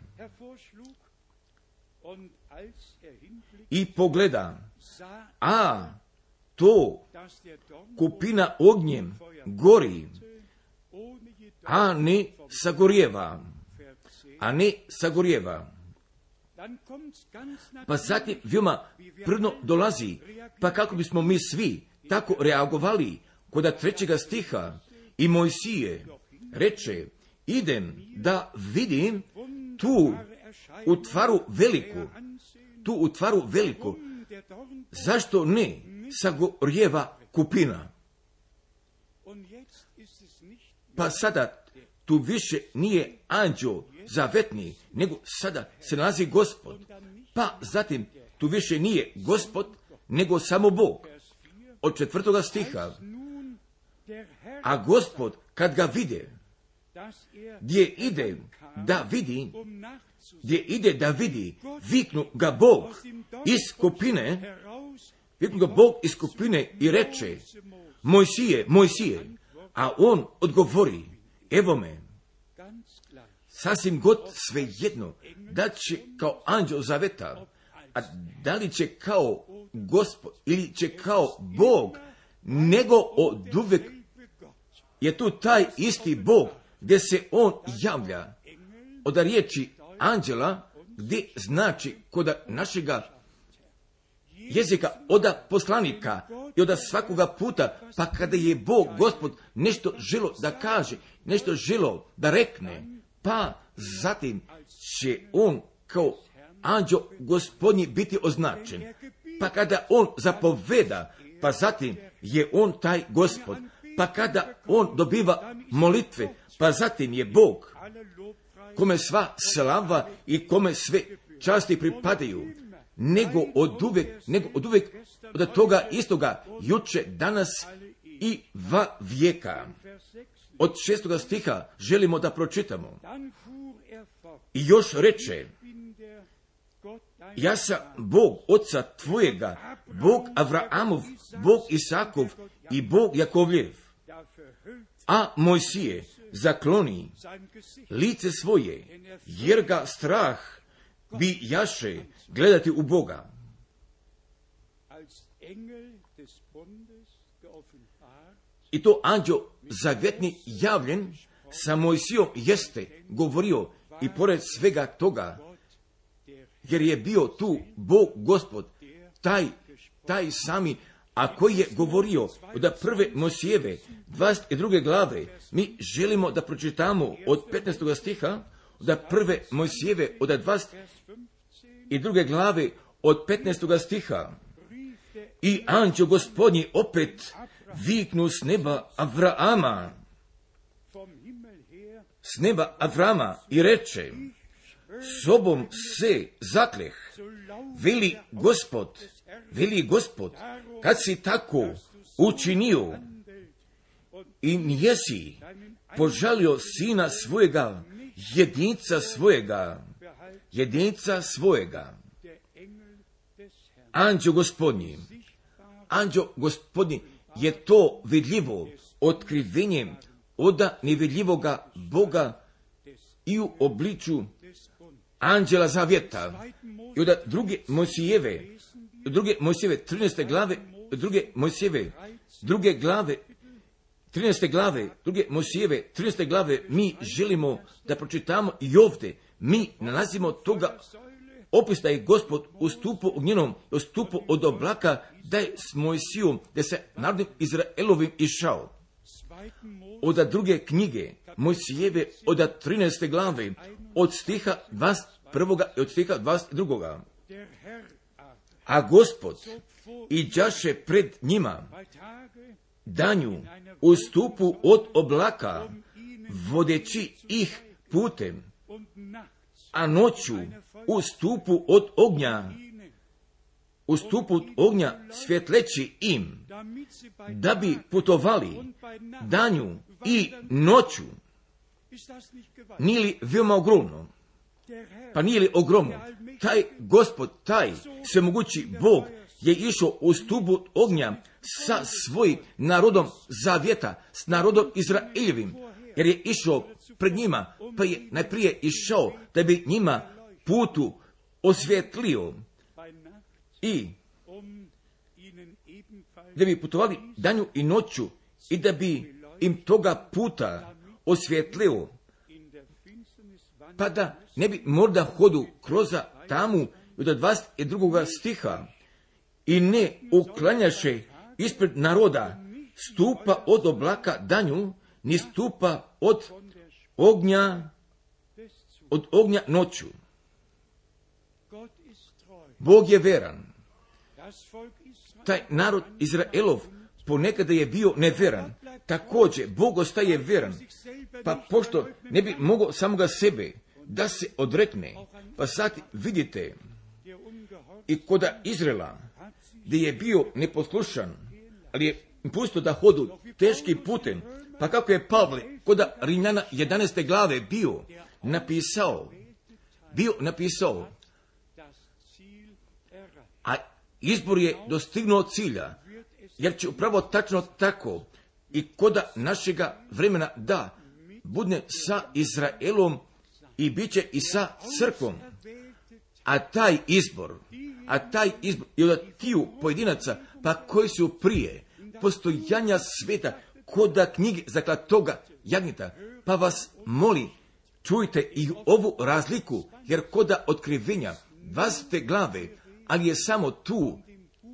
I pogleda, a to kupina ognjem gori, a ne sagorijeva, a ne sagorijeva. Pa zatim veoma prvno dolazi, pa kako bismo mi svi tako reagovali kod trećega stiha, i Mojsije reče: idem da vidim tu u tvaru veliku, tu u tvaru veliku, zašto ne sagorijeva kupina? Pa sada tu više nije anđeo zavetni, nego sada se nalazi Gospod. Pa zatim tu više nije Gospod, nego samo Bog. Od četvrtoga stiha. A Gospod, kad ga vide, gdje ide da vidi, gdje ide da vidi, viknu ga Bog iz skupine, viknu ga Bog iz skupine i reče: Mojsije, Mojsije, a on odgovori: evo me. Sasvim god svejedno, da će kao anđeo zaveta, a da li će kao Gospod ili će kao Bog, nego od uvek je tu taj isti Bog gdje se on javlja. Od riječi anđela, gdje znači kod našega jezika od poslanika i od svakoga puta, pa kada je Bog, Gospod, nešto želo da kaže, nešto želo da rekne, pa zatim će on kao anđeo Gospodnji biti označen. Pa kada on zapoveda, pa zatim je on taj Gospod. Pa kada on dobiva molitve, pa zatim je Bog, kome sva slava i kome sve časti pripadaju, nego od uvek, nego od uvek od toga istoga, juče, danas i va vijeka. Od šestoga stiha želimo da pročitamo. I još reče: ja sam Bog oca tvojega, Bog Avraamov, Bog Isakov i Bog Jakovljev. A Mojsije zakloni lice svoje, jer ga strah bi jaše gledati u Boga. I to anđeo zavjetni javljen sa Mojsijom jeste govorio i pored svega toga, jer je bio tu Bog Gospod, taj, taj sami, a koji je govorio od prve Mojsijeve dvadeset druge glave. Mi želimo da pročitamo od petnaestog stiha, od prve Mojsijeve od dvadeset druge glave od petnaestog stiha. I anđeo Gospodnji opet viknu s neba Avrama, s neba Avrama i reče, sobom se zakleh, veli Gospod, veli Gospod, kad si tako učinio i nijesi požalio sina svojega, jedinca svojega, jedinca svojega. Anđeo Gospodnji, anđeo Gospodnji je to vidljivo otkrivenjem oda nevidljivoga Boga i u obliču anđela zavjeta. I od druge Mojsijeve, druge Mojsijeve trinaeste glave, druge Mojsijeve, druge glave, trinaeste glave, druge Mojsijeve trinaeste glave, mi želimo da pročitamo i ovdje. Mi nalazimo toga opis da je Gospod ustupao ognjenom, ustupao od oblaka, da je s Mojsijom, da se narodom Izraelovim išao. Od druge knjige Mojsijeve, od trinaeste glave, od stiha dvadeset prvoga i od stiha dvadeset drugoga. A Gospod iđaše pred njima danju u stupu od oblaka, vodeći ih putem, a noću u stupu od ognja, u stupu od ognja svjetleći im, da bi putovali danju i noću. Nije li veoma ogromno? Pa nije li ogromno? Taj Gospod, taj svemogući Bog je išao u stupu ognja sa svojim narodom zavjeta, s narodom Izraeljevim, jer je išao pred njima, pa je najprije išao da bi njima putu osvjetlio i da bi putovali danju i noću i da bi im toga puta osvjetlio, pa da ne bi možda hodu kroz tamu od dvadeset drugoga stiha i ne uklanjaše ispred naroda stupa od oblaka danju, ni stupa od ognja, od ognja noću. Bog je veran. Taj narod Izraelov ponekada je bio neveran. Također, Bog ostaje veran. Pa pošto ne bi mogao samoga sebe da se odrekne, pa sad vidite i koda Izraela, gdje je bio neposlušan, ali je pustio da hodu teškim putem, pa kako je Pavle koda Rimljana jedanaeste glave bio napisao, bio napisao, a izbor je dostignuo cilja, jer će upravo tačno tako i koda našega vremena da budne sa Izraelom i bit će i sa crkvom. A taj izbor, a taj izbor i od tiju pojedinaca, pa koji su prije postojanja sveta, koda knjige zaklatoga jagnjeta, pa vas moli, čujte i ovu razliku, jer koda otkrivenja dvadesete glave, ali je samo tu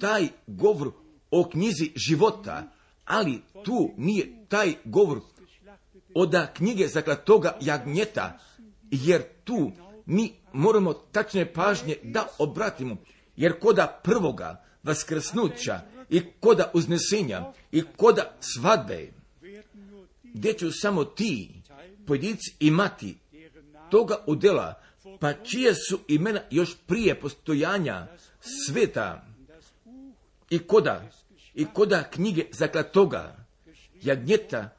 taj govor o knjizi života, ali tu nije taj govor od knjige zaklatoga jagnjeta, jer tu mi moramo tačne pažnje da obratimo, jer koda prvoga vaskrsnuća i koda uznesenja i koda svadbe, gdje ću samo ti pojedinci imati toga udjela, pa čije su imena još prije postojanja sveta i koda, i koda knjige zaklatoga jagnjeta,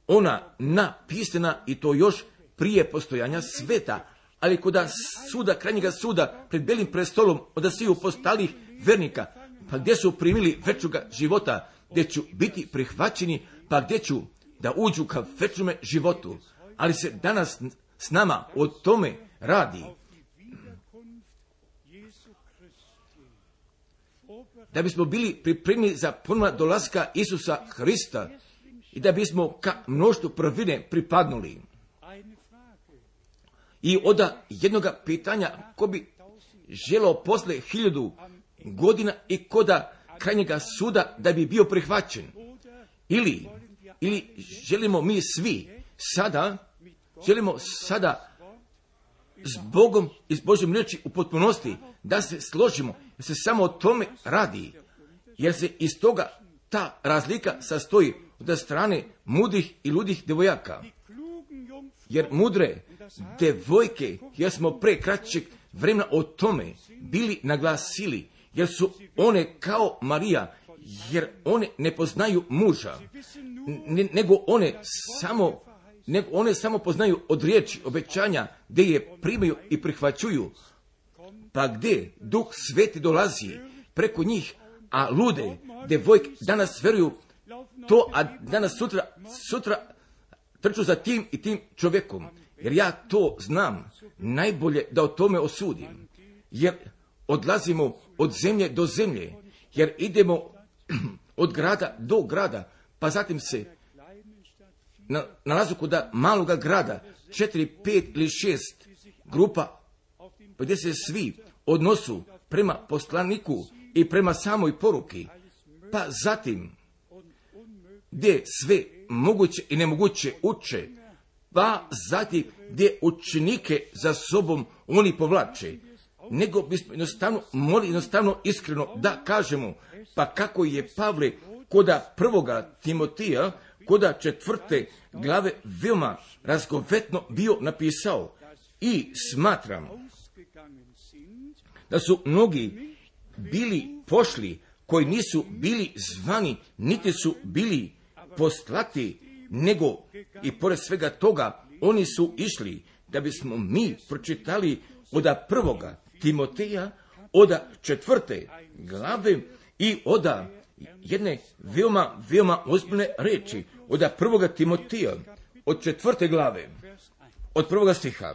ona napisana i to još prije postojanja sveta, ali koda suda, krajnjega suda, pred belim prestolom od sviju postalih vernika, pa gdje su primili večnoga života, gdje ću biti prihvaćeni, pa gdje ću da uđu ka večnome životu, ali se danas s nama o tome radi. Da bismo bili pripremni za ponovno dolaska Isusa Hrista i da bismo ka mnoštvu prvine pripadnuli. I oda jednoga pitanja, ko bi želeo posle hiljadu godina i koda krajnjega suda da bi bio prihvaćen. Ili, ili želimo mi svi sada, želimo sada s Bogom i s Božjom riječi u potpunosti da se složimo, da se samo o tome radi, jer se iz toga ta razlika sastoji od strane mudrih i ludih devojaka. Jer mudre devojke, jer smo pre kraćeg vremena o tome bili naglasili, jer su one kao Marija, jer one ne poznaju muža, ne, nego one samo, nego one samo poznaju od riječi obećanja, gdje je primaju i prihvaćuju. Pa gdje Duh Sveti dolazi preko njih, a lude devojke danas vjeruju to, a danas sutra, sutra trču za tim i tim čovjekom. Jer ja to znam najbolje da o tome osudim. Jer odlazimo od zemlje do zemlje, jer idemo od grada do grada, pa zatim se na, nalazu kod maloga grada, četiri, pet ili šest grupa, gdje se svi odnosu prema poslaniku i prema samoj poruki, pa zatim gdje sve moguće i nemoguće uče, pa zatim gdje učenike za sobom oni povlače, nego bismo jednostavno morali jednostavno iskreno da kažemo, pa kako je Pavle koda prvoga Timotija, koda četvrte glave veoma razgovetno bio napisao. I smatram da su mnogi bili pošli koji nisu bili zvani, niti su bili poslati, nego i pored svega toga oni su išli da bismo mi pročitali oda prvoga Timoteja, oda četvrte glave i oda jedne veoma, veoma ozbiljne reči, oda prvoga Timoteja, od četvrte glave, od prvoga stiha.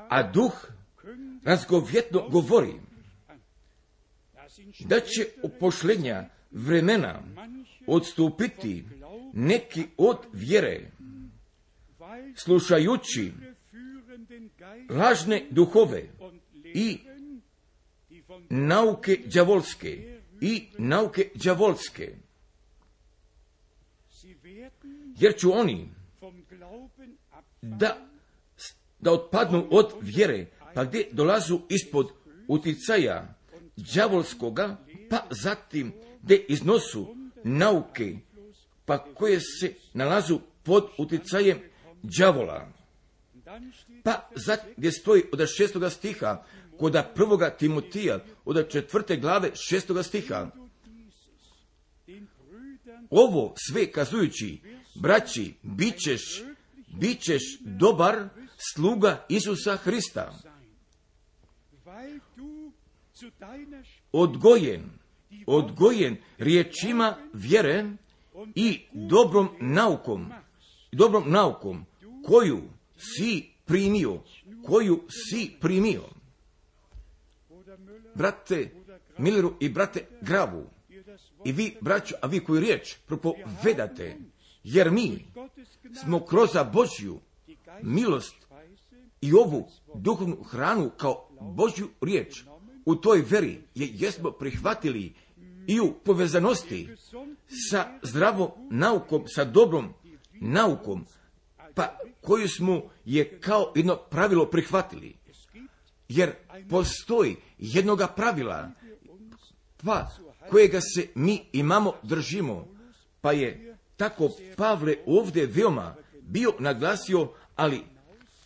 A duh razgovjetno govori da će u posljednja vremena odstupiti neki od vjere, slušajući lažne duhove i nauke đavolske i nauke đavolske. Jer ću oni da, da otpadnu od vjere, pa gdje dolazu ispod uticaja đavolskoga, pa zatim gdje iznosu nauke, pa koje se nalazu pod uticajem đavola. Pa zatim gdje stoji od šestoga stiha, koda prvoga Timotija, od četvrte glave šestoga stiha. Ovo sve kazujući, braći, bit ćeš, bit ćeš dobar sluga Isusa Hrista, odgojen, odgojen riječima vjere i dobrom naukom, dobrom naukom koju si primio, koju si primio. Brate Milleru i brate Gravu, i vi, braćo, a vi koju riječ propovedate, jer mi smo kroz Božju milost i ovu duhovnu hranu kao Božju riječ u toj veri je jesmo prihvatili i u povezanosti sa zdravom naukom, sa dobrom naukom, pa koju smo je kao jedno pravilo prihvatili. Jer postoji jednoga pravila, pa kojega se mi imamo držimo, pa je tako Pavle ovdje veoma bio naglasio, ali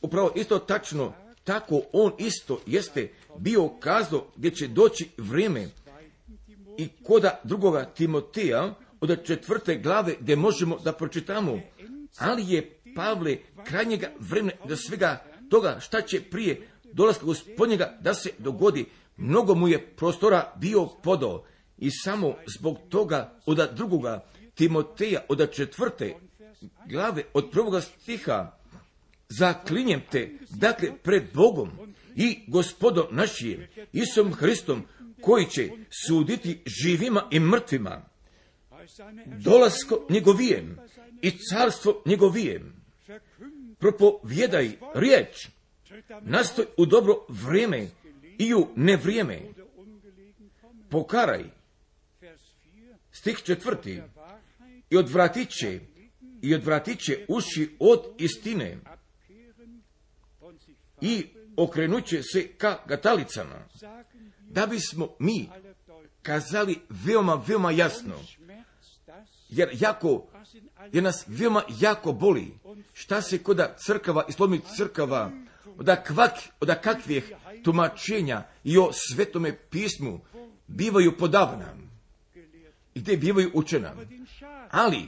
upravo isto tačno, tako on isto jeste bio kazao gdje će doći vrijeme i koda drugoga Timoteja od četvrte glave gdje možemo da pročitamo, ali je Pavle krajnjega vremena do svega toga šta će prije dolaska Gospodnjega da se dogodi, mnogo mu je prostora bio podao i samo zbog toga od drugoga Timoteja od četvrte glave od prvoga stiha: zaklinjem te, dakle, pred Bogom i Gospodom našim, Isusom Hristom, koji će suditi živima i mrtvima, dolasko njegovijem i carstvo njegovijem. Propovjedaj riječ, nastoj u dobro vrijeme i u nevrijeme. Pokaraj, stih četvrti, i odvratit će, i odvratit će uši od istine i okrenut će se ka gatalicama, da bismo mi kazali veoma, veoma jasno, jer jako, jer nas veoma jako boli, šta se koda crkava i slomih crkava, od, kvak, od kakvih tumačenja i o Svetome pismu bivaju podavna i gdje bivaju učena. Ali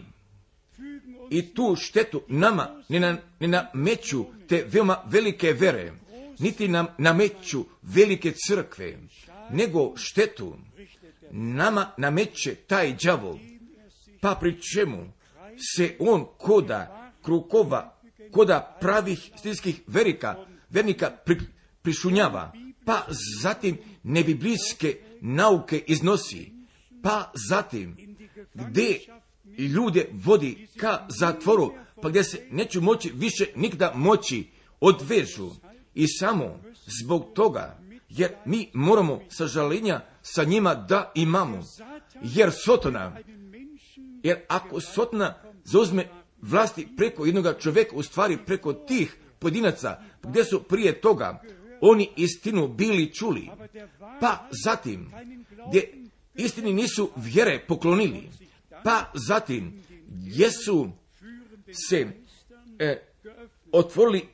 i tu štetu nama ne, na, ne nameću te veoma velike vere, niti nam nameću velike crkve, nego štetu nama nameće taj đavol, pa pri čemu se on koda krukova, koda pravih stilskih verika, vernika pri, prišunjava, pa zatim nebiblijske nauke iznosi, pa zatim gdje ljude vodi ka zatvoru, pa gdje se neću moći više nikda moći odvežu. I samo zbog toga, jer mi moramo sažalenja sa njima da imamo, jer Sotona, jer ako Sotona zauzme vlasti preko jednoga čovjeka, u stvari preko tih pojedinaca, gdje su prije toga oni istinu bili čuli, pa zatim gdje istini nisu vjere poklonili, pa zatim gdje su se e, otvorili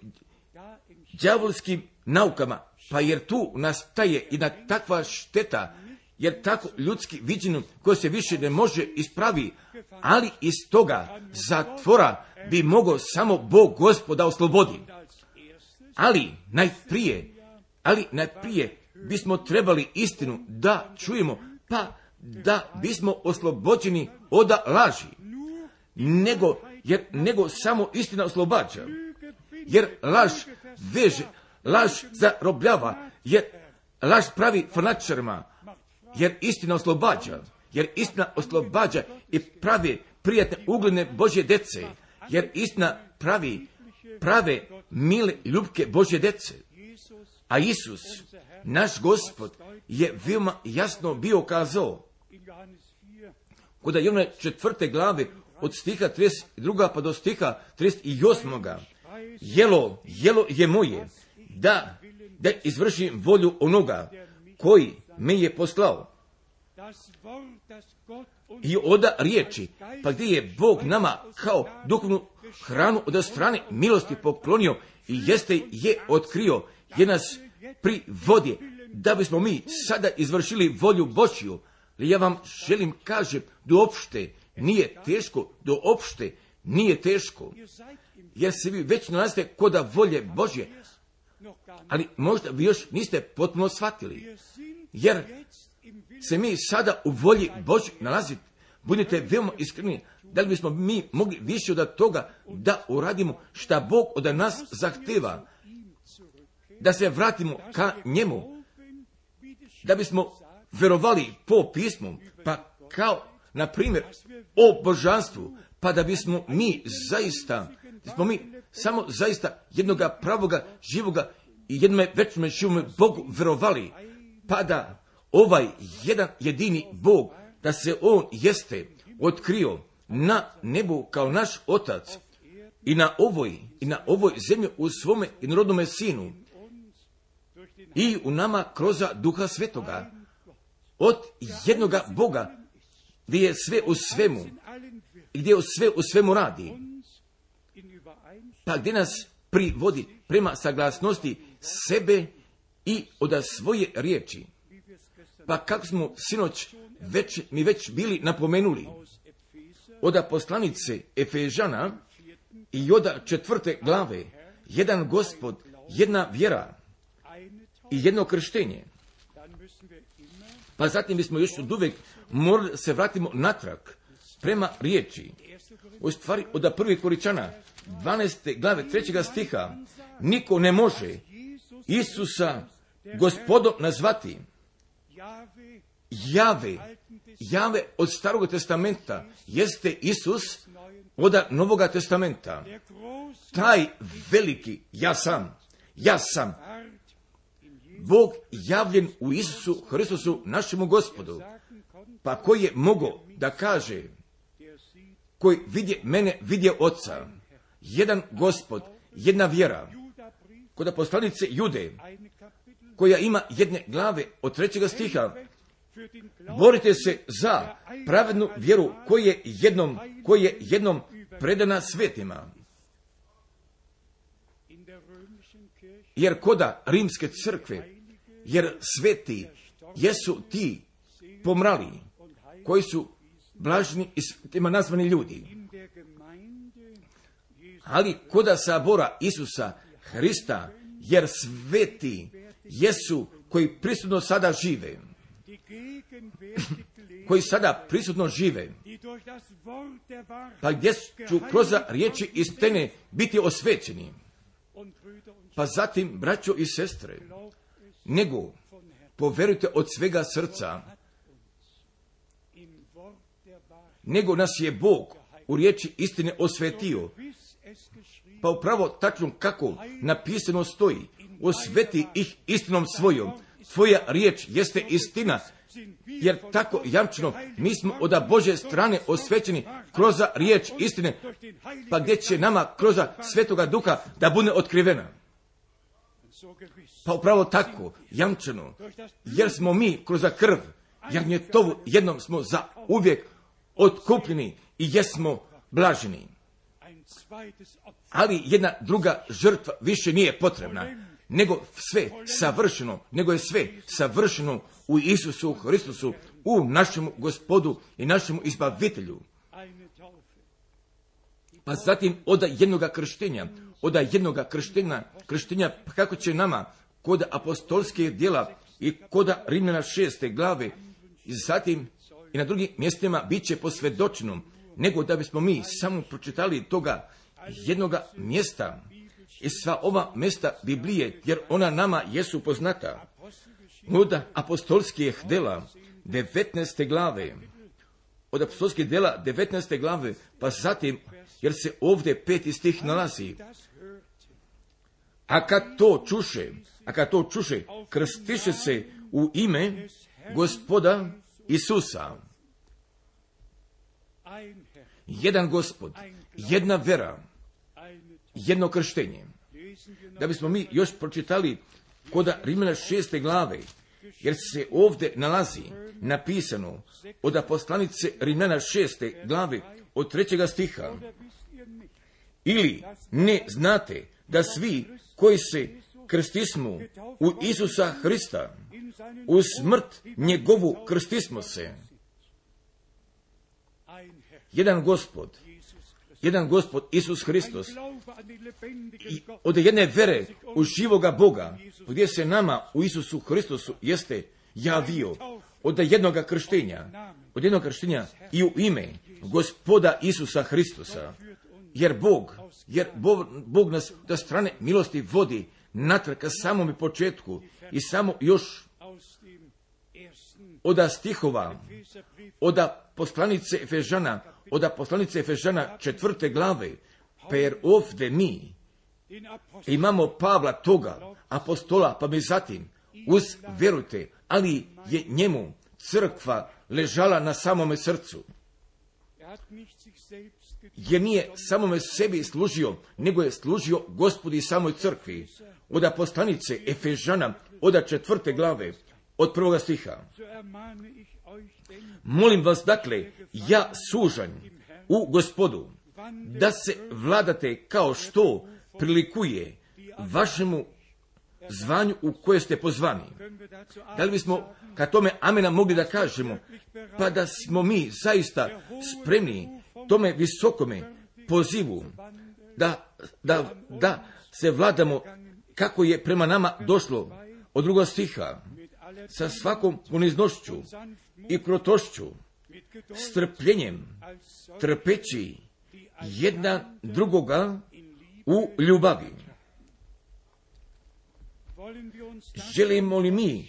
đavolskim naukama, pa jer tu nastaje jedna takva šteta, jer tako ljudski viđenjem koje se više ne može ispravi, ali iz toga zatvora bi mogao samo Bog Gospoda oslobodi. Ali najprije, ali najprije bismo trebali istinu da čujemo, pa da bismo oslobođeni od laži, nego, jer, nego samo istina oslobađa, jer laž veže, laž zarobljava, jer laž pravi fanatičarima, jer istina oslobađa, jer istina oslobađa i pravi prijatne ugledne Božje dece, jer istina pravi prave mile ljubke Božje dece. A Isus, naš Gospod, je veoma jasno bio kazao, kod Jovana četvrte glave od stiha trideset dva pa do stiha trideset osam. Jelo, jelo je moje, da, da izvršim volju onoga koji me je poslao. I oda riječi, pa gdje je Bog nama kao duhovnu hranu od strane milosti poklonio i jeste je otkrio, je nas privodi, da bismo mi sada izvršili volju Božju. Ali ja vam želim kažem, doopšte nije teško, doopšte nije teško, jer se vi već nalazite koda volje Božje, ali možda vi još niste potpuno shvatili, jer se mi sada u volji Božje nalazite. Budite veoma iskreni, da li bismo mi mogli više od toga da uradimo šta Bog od nas zahteva, da se vratimo ka njemu, da bismo verovali po pismu, pa kao, na primjer, o božanstvu, pa da bismo mi zaista, da smo mi samo zaista jednoga pravoga, živoga i jednome večnome živome Bogu verovali, pa da ovaj jedan jedini Bog, da se on jeste otkrio na nebu kao naš Otac i na ovoj, i na ovoj zemlji u svome jednorodnome Sinu i u nama kroz Duha Svetoga, od jednoga Boga, gdje je sve u svemu i gdje je sve u svemu radi, pa gdje nas privodi prema saglasnosti sebe i od svoje riječi. Pa kako smo sinoć već, mi već bili napomenuli, od poslanice Efežana i od četvrte glave, jedan Gospod, jedna vjera i jedno krštenje. Pa zatim bismo još od uvijek morali se vratimo natrag prema riječi. U stvari, od prvih Korinčana, dvanaeste glave, trećega stiha, niko ne može Isusa Gospodom nazvati. Jave, Jave od Starog testamenta jeste Isus od Novoga testamenta. Taj veliki ja sam, ja sam, Bog javljen u Isusu Hristusu našemu Gospodu. Pa koji je mogao da kaže, koji vidje mene, vidje Oca, jedan Gospod, jedna vjera. Kod poslanice Jude, koja ima jedne glave od trećega stiha, borite se za pravednu vjeru koja je jednom, koja je jednom predana svetima. Jer koda rimske crkve, jer sveti jesu ti pomrali, koji su blažni i svetima nazvani ljudi. Ali koda sabora Isusa Hrista, jer sveti jesu koji prisutno sada žive, koji sada prisutno žive, pa gdje ću kroz riječi istine biti osvećeni. Pa zatim, braćo i sestre, nego poverujte od svega srca, nego nas je Bog u riječi istine osvetio. Pa upravo tačno kako napisano stoji, osveti ih istinom svojom. Tvoja riječ jeste istina, jer tako jamčeno mi smo od Božje strane osvećeni kroz riječ istine, pa gdje će nama kroz Svetoga Duha da bude otkrivena. Pa upravo tako jamčeno, jer smo mi kroz krv jagnjetovu jednom smo za uvijek otkupljeni i jesmo blaženi. Ali jedna druga žrtva više nije potrebna, nego sve savršeno, nego je sve savršeno u Isusu Hristusu, u našemu Gospodu i našemu izbavitelju. Pa zatim od jednoga krštenja, od jednoga krštenja, krštenja kako će nama kod apostolskih djela i kod Rimljana šeste glave i zatim i na drugim mjestima bit će posvjedočeno, nego da bismo mi samo pročitali toga jednoga mjesta i sva ova mjesta Biblije, jer ona nama jesu poznata. Od apostolskih djela devetnaeste glave, od apostolskih djela devetnaeste glave, pa zatim, jer se ovdje peti stih nalazi, a kad to čuše, a kad to čuše, krstiše se u ime Gospoda Isusa. Jedan Gospod, jedna vera, jedno krštenje. Da bismo mi još pročitali kod Rimljana šeste glave, jer se ovdje nalazi napisano od poslanice Rimljana šeste glave od trećega stiha. Ili ne znate da svi koji se krstismo u Isusa Hrista, u smrt njegovu krstismo se. Jedan Gospod, jedan Gospod Isus Hristos, i od jedne vere u živoga Boga, gdje se nama u Isusu Hristosu jeste javio, od jednoga krštenja, od jednog krštenja i u ime Gospoda Isusa Hristosa, jer Bog, jer Bog, Bog nas da strane milosti vodi natrag ka samome početku i samo još od stihova, od poslanice Efežana, od poslanice Efežana četvrte glave, pa jer ovdje mi imamo Pavla toga, apostola, pa mi zatim, uz vjerujte, ali je njemu crkva ležala na samome srcu. Jer nije samome sebi služio, nego je služio Gospodi samoj crkvi. Od poslanice Efežana, od četvrte glave, od prvoga stiha. Molim vas, dakle, ja sužanj u Gospodu, da se vladate kao što prilikuje vašemu zvanju u koje ste pozvani. Da li bismo ka tome amena mogli da kažemo, pa da smo mi zaista spremni tome visokome pozivu, da, da, da se vladamo kako je prema nama došlo od drugog stiha, sa svakom poniznošću i krotošću, strpljenjem, trpeći jedna drugoga u ljubavi. Želimo li mi,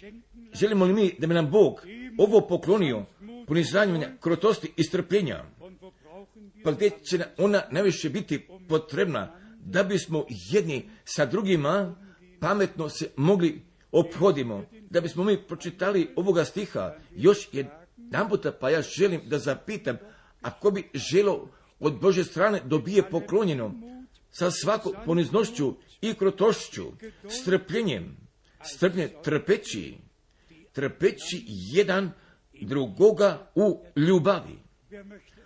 želimo li mi da bi nam Bog ovo poklonio, ponizanja, krotosti i strpljenja, pa gdje će ona najviše biti potrebna da bismo jedni sa drugima pametno se mogli ophodimo, da bismo mi pročitali ovoga stiha još jedan puta, pa ja želim da zapitam, ako bi želo od Božje strane dobije poklonjeno sa svakom poniznošću i krotošću, strpljenjem, strpljenjem, trpeći, trpeći jedan drugoga u ljubavi.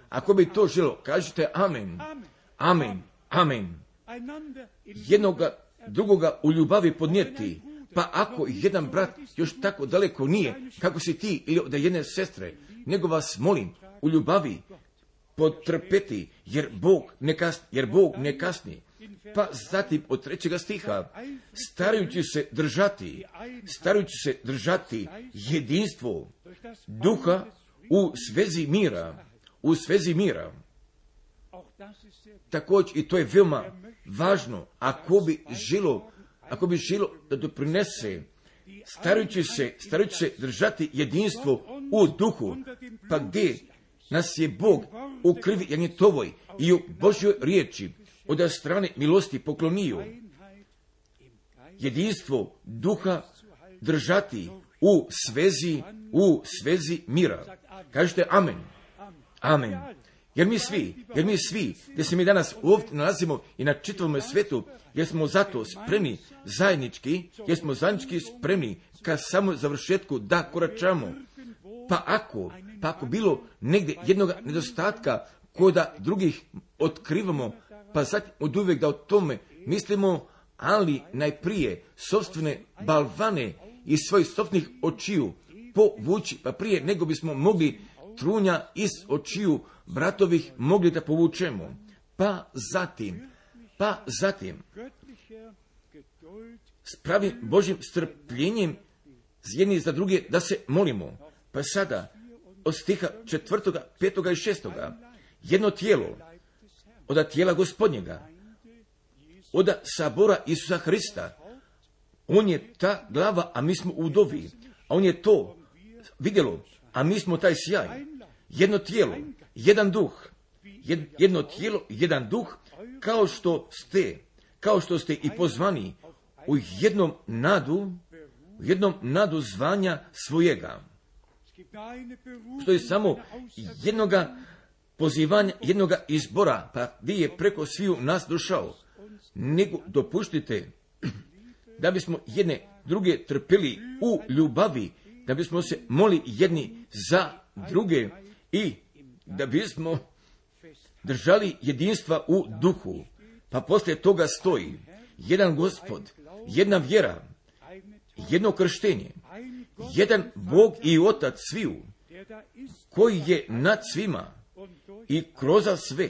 Ako bi to želo, kažite amen, amen, amen. Jednoga drugoga u ljubavi podnijeti, pa ako jedan brat još tako daleko nije, kako si ti ili od jedne sestre, nego vas molim u ljubavi potrpeti, jer Bog ne kasni, jer Bog ne kasni. Pa zatim od trećega stiha, starajući se držati, starajući se držati jedinstvo duha u svezi mira, u svezi mira. Također i to je veoma važno, ako bi želo, ako bi želo da doprinese, starajući se, starajući se držati jedinstvo u duhu, pa gdje nas je Bog u krvi Janjetovoj i u Božjoj riječi od strane milosti poklonio jedinstvo duha držati u svezi, u svezi mira. Kažete amen, amen. Jer mi svi, jer mi svi, gdje se mi danas ovdje nalazimo i na čitavom svijetu, jer smo zato spremni zajednički, jer smo zajednički spremni ka samo završetku da koračamo. Pa ako, pa ako bilo negdje jednog nedostatka koda drugih otkrivamo, pa sad od uvijek da o tome mislimo, ali najprije sopstvene balvane iz svojih sopstvenih očiju povući, pa prije nego bismo mogli trunja iz očiju bratovih mogli da povučemo. Pa zatim, pa zatim, s pravim Božjim strpljenjem jedni za druge da se molimo. Pa sada, od stiha četvrtoga, petoga i šestoga, jedno tijelo, od tijela Gospodnjega, od sabora Isusa Hrista, on je ta glava, a mi smo udovi, a on je to vidjelo, a mi smo taj sjaj. Jedno tijelo, jedan duh, jedno tijelo, jedan duh, kao što ste, kao što ste i pozvani u jednom nadu, u jednom nadu zvanja svojega. Što je samo jednoga pozivanja, jednoga izbora, pa gdje je preko sviju nas došao. Nego dopuštite da bismo jedne druge trpili u ljubavi, da bismo se moli jedni za druge i da bismo držali jedinstva u duhu. Pa poslije toga stoji jedan Gospod, jedna vjera, jedno krštenje, jedan Bog i Otac sviju, koji je nad svima i kroz sve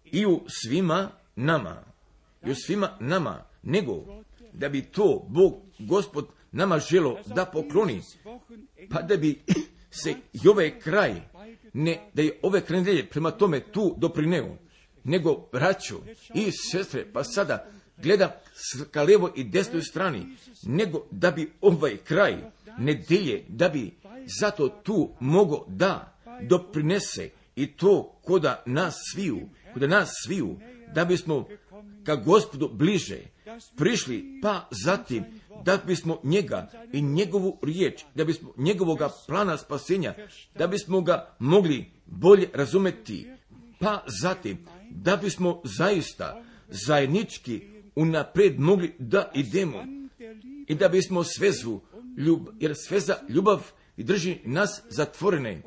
i u svima nama, i u svima nama, nego da bi to Bog, Gospod, nama želo da pokloni, pa da bi se i ovaj kraj, ne da je ove kraj prema tome tu doprineo, nego braćo i sestre, pa sada gledam ka lijevo i desnoj strani, nego da bi ovaj kraj nedelje, da bi zato tu mogo da doprinese i to koda nas sviju, koda nas sviju, da bismo ka Gospodu bliže prišli, pa zatim da bismo njega i njegovu riječ, da bismo njegovoga plana spasenja, da bismo ga mogli bolje razumeti, pa zatim da bismo zaista zajednički unaprijed mogli da idemo i da bismo svezu, ljub, jer sveza ljubav i drži nas zatvorene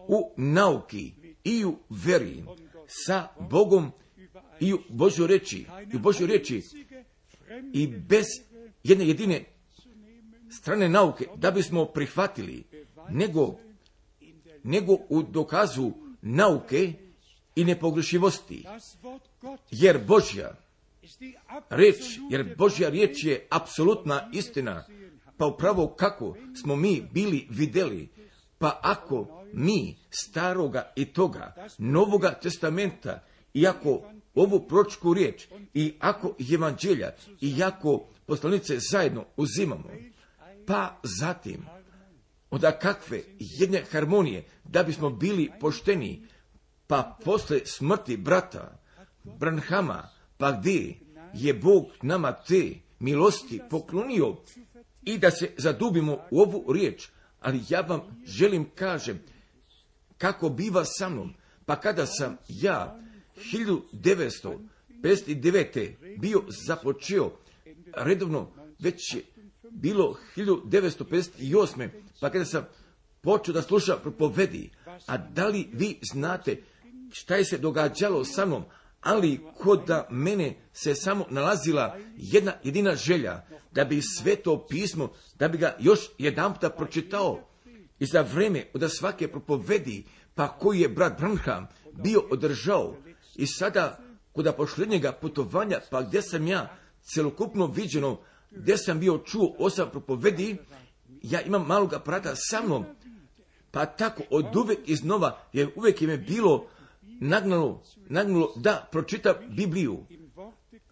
u nauki i u veri sa Bogom i u Božoj reči, i u Božoj reči i bez jedne jedine strane nauke da bismo prihvatili, nego, nego u dokazu nauke i nepogrešivosti. Jer Božja reč, jer Božja riječ je apsolutna istina, pa upravo kako smo mi bili vidjeli, pa ako mi staroga i toga Novoga testamenta, iako ovu proročku riječ i ako evanđelja i ako poslanice zajedno uzimamo, pa zatim onda kakve jedne harmonije da bismo bili pošteni, pa posle smrti brata Branhama, pa gdje je Bog nama te milosti poklonio i da se zadubimo u ovu riječ. Ali ja vam želim kažem kako biva sa mnom, pa kada sam ja hiljadu devetsto pedeset devete bio započeo redovno, već je bilo hiljadu devetsto pedeset osme pa kada sam počeo da slušam propovedi. A da li vi znate šta je se događalo sa mnom? Ali kod da mene se samo nalazila jedna jedina želja, da bi Sveto pismo, da bi ga još jedanputa pročitao. I za vreme od svake propovedi, pa koji je brat Branham bio održao, i sada kod posljednjega putovanja, pa gdje sam ja celokupno viđeno, gdje sam bio čuo osam propovedi, ja imam malog aparata sa mnom, pa tako od uvek iznova, jer uvek je me bilo nagnalo, nagnalo da pročitam Bibliju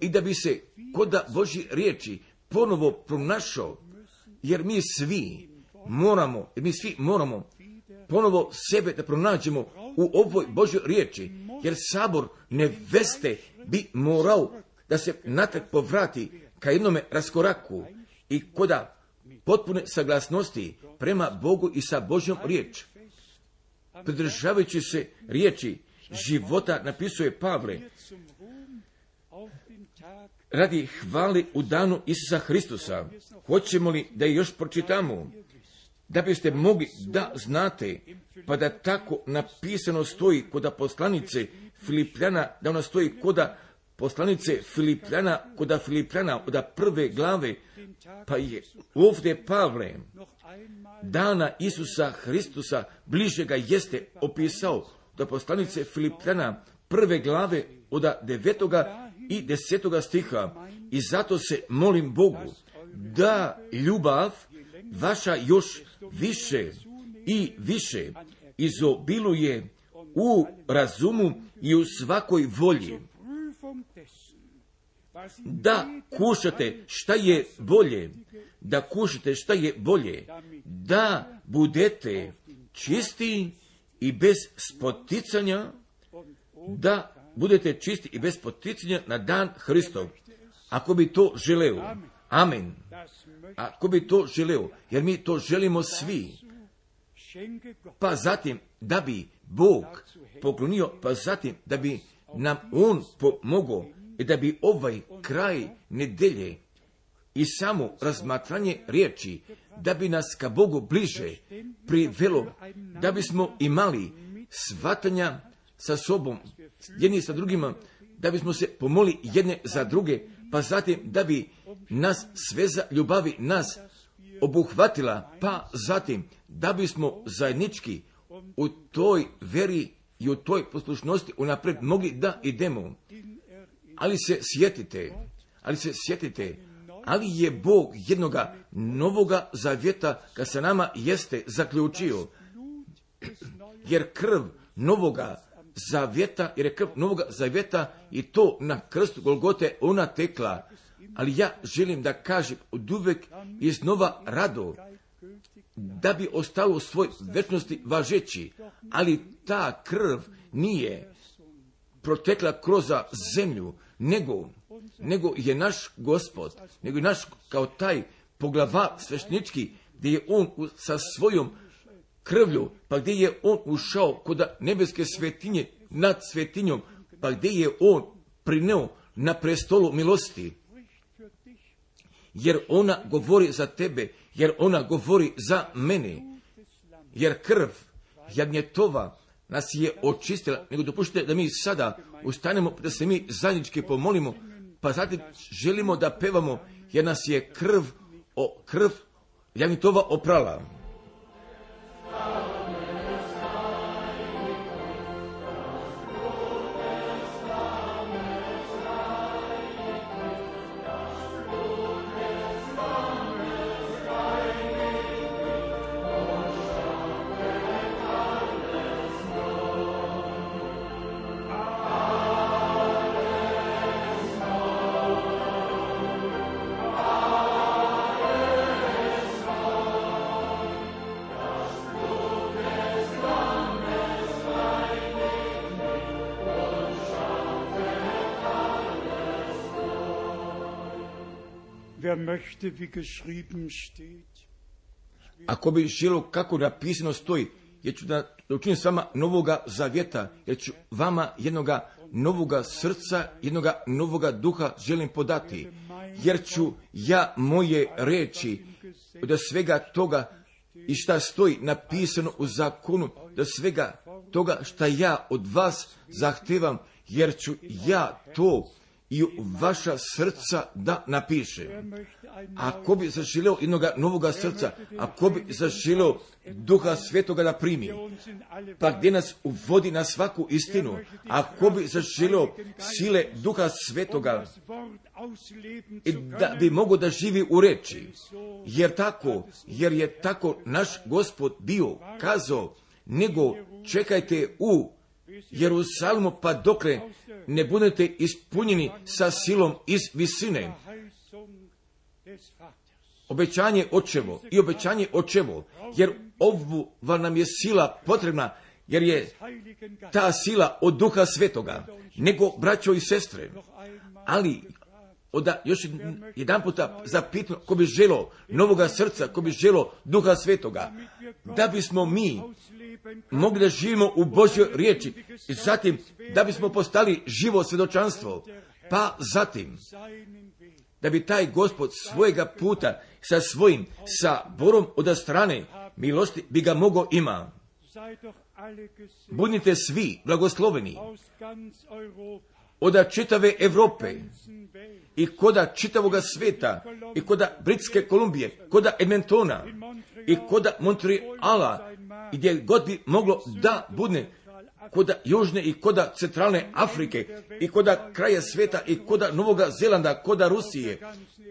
i da bi se kod Božje riječi ponovo pronašao, jer mi svi moramo, jer mi svi moramo ponovo sebe da pronađemo u ovoj Božjoj riječi, jer sabor neveste bi morao da se natrag povrati ka jednome raskoraku i koda potpune saglasnosti prema Bogu i sa Božjom riječ. Pridržavajući se riječi života, napisuje Pavle, radi hvale u danu Isusa Hristusa. Hoćemo li da je još pročitamo, da biste mogli da znate, pa da tako napisano stoji kod poslanice Filipljana, da ona stoji kod poslanice Filipljana, kod Filipljana od prve glave, pa je ovdje Pavle dana Isusa Hristusa bliže ga jeste opisao do poslanice Filipljana prve glave od devetoga i desetoga stiha. I zato se molim Bogu da ljubav vaša još više i više izobiluje u razumu i u svakoj volji, da kušate šta je bolje, da kušate šta je bolje, da budete čisti i bez spoticanja, da budete čisti i bez spoticanja na dan Hristov. Ako bi to želeo, amen. Ako bi to želeo, jer mi to želimo svi, pa zatim da bi Bog poklonio, pa zatim da bi nam On pomogao i da bi ovaj kraj nedelje i samo razmatranje riječi, da bi nas ka Bogu bliže privelo, da bismo imali shvatanja sa sobom, jedni sa drugima, da bismo se pomoli jedne za druge, pa zatim da bi nas sveza ljubavi nas obuhvatila, pa zatim da bismo zajednički u toj veri i u toj poslušnosti unapred mogli da idemo. Ali se sjetite, ali se sjetite, ali je Bog jednoga novoga zavjeta kad sa nama jeste zaključio, jer krv novoga zavjeta, jer je krv novoga zavjeta i to na krstu Golgote ona tekla. Ali ja želim da kažem od uvek iznova rado, da bi ostalo u svoj večnosti važeći, ali ta krv nije protekla kroz zemlju, nego, nego je naš Gospod, nego je naš kao taj poglava sveštenički, gdje je on u, sa svojom krvlju, pa gdje je on ušao kod nebeske svetinje nad svetinjom, pa gdje je on prineo na prestolu milosti. Jer ona govori za tebe, jer ona govori za mene, jer krv jagnjetova nas je očistila. Nego dopuštite da mi sada ustanemo, da se mi zajednički pomolimo, pa zatim želimo da pevamo, jer nas je krv, o, krv jagnjetova oprala. Ako bi želo kako napisano stoji, jer ću da učinim s vama novoga zavjeta, jer ću vama jednoga novoga srca, jednoga novoga duha želim podati, jer ću ja moje reči da svega toga i šta stoji napisano u zakonu, da svega toga šta ja od vas zahtijevam, jer ću ja to i u vaša srca da napiše. Ako bi zaželeo jednog novoga srca, ako bi zaželeo Duha Svetoga da primi, pa gdje nas uvodi na svaku istinu, ako bi zaželeo sile Duha Svetoga i da bi mogo da živi u reči, jer tako, jer je tako naš Gospod bio kazao, nego čekajte u Jerusalimu pa dokle ne budete ispunjeni sa silom iz visine. Obećanje očevo i obećanje očevo, jer ova nam je sila potrebna, jer je ta sila od Duha Svetoga, nego braćo i sestre. Ali, oda još jedan puta zapitam, ko bi želo novoga srca, ko bi želo Duha Svetoga, da bismo mi mogli da živimo u Božjoj riječi, i zatim da bismo postali živo svjedočanstvo, pa zatim da bi taj Gospod svojega puta sa svojim saborom od strane milosti bi ga mogo ima. Budite svi blagosloveni od čitave Europe i koda čitavoga sveta i koda Britske Kolumbije, koda Edmontona i koda Montreala, gdje god bi moglo da bude, koda Južne i koda Centralne Afrike i koda kraja sveta i koda Novoga Zelanda, koda Rusije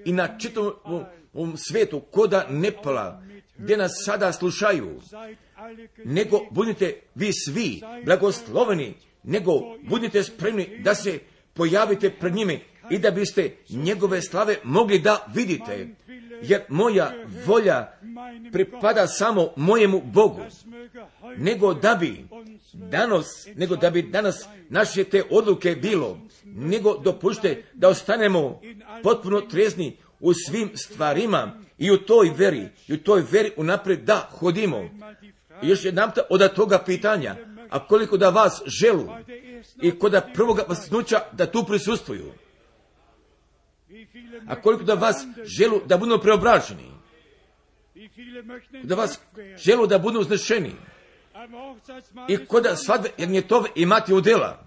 i na čitavom svijetu, koda Nepala, gdje nas sada slušaju, nego budite vi svi blagosloveni, nego budite spremni da se pojavite pred njime i da biste njegove slave mogli da vidite, jer moja volja pripada samo mojemu Bogu, nego da bi danas, nego da bi danas naše te odluke bilo, nego dopušte da ostanemo potpuno trezni u svim stvarima i u toj veri, i u toj veri unaprijed da hodimo. I još jedan od toga pitanja, a koliko da vas želu i koda prvoga vasnuća da tu prisustvuju, a koliko da vas želu da budu preobraženi, da vas želu da budu uznešeni i koda svadbe jagnjetove imati udjela.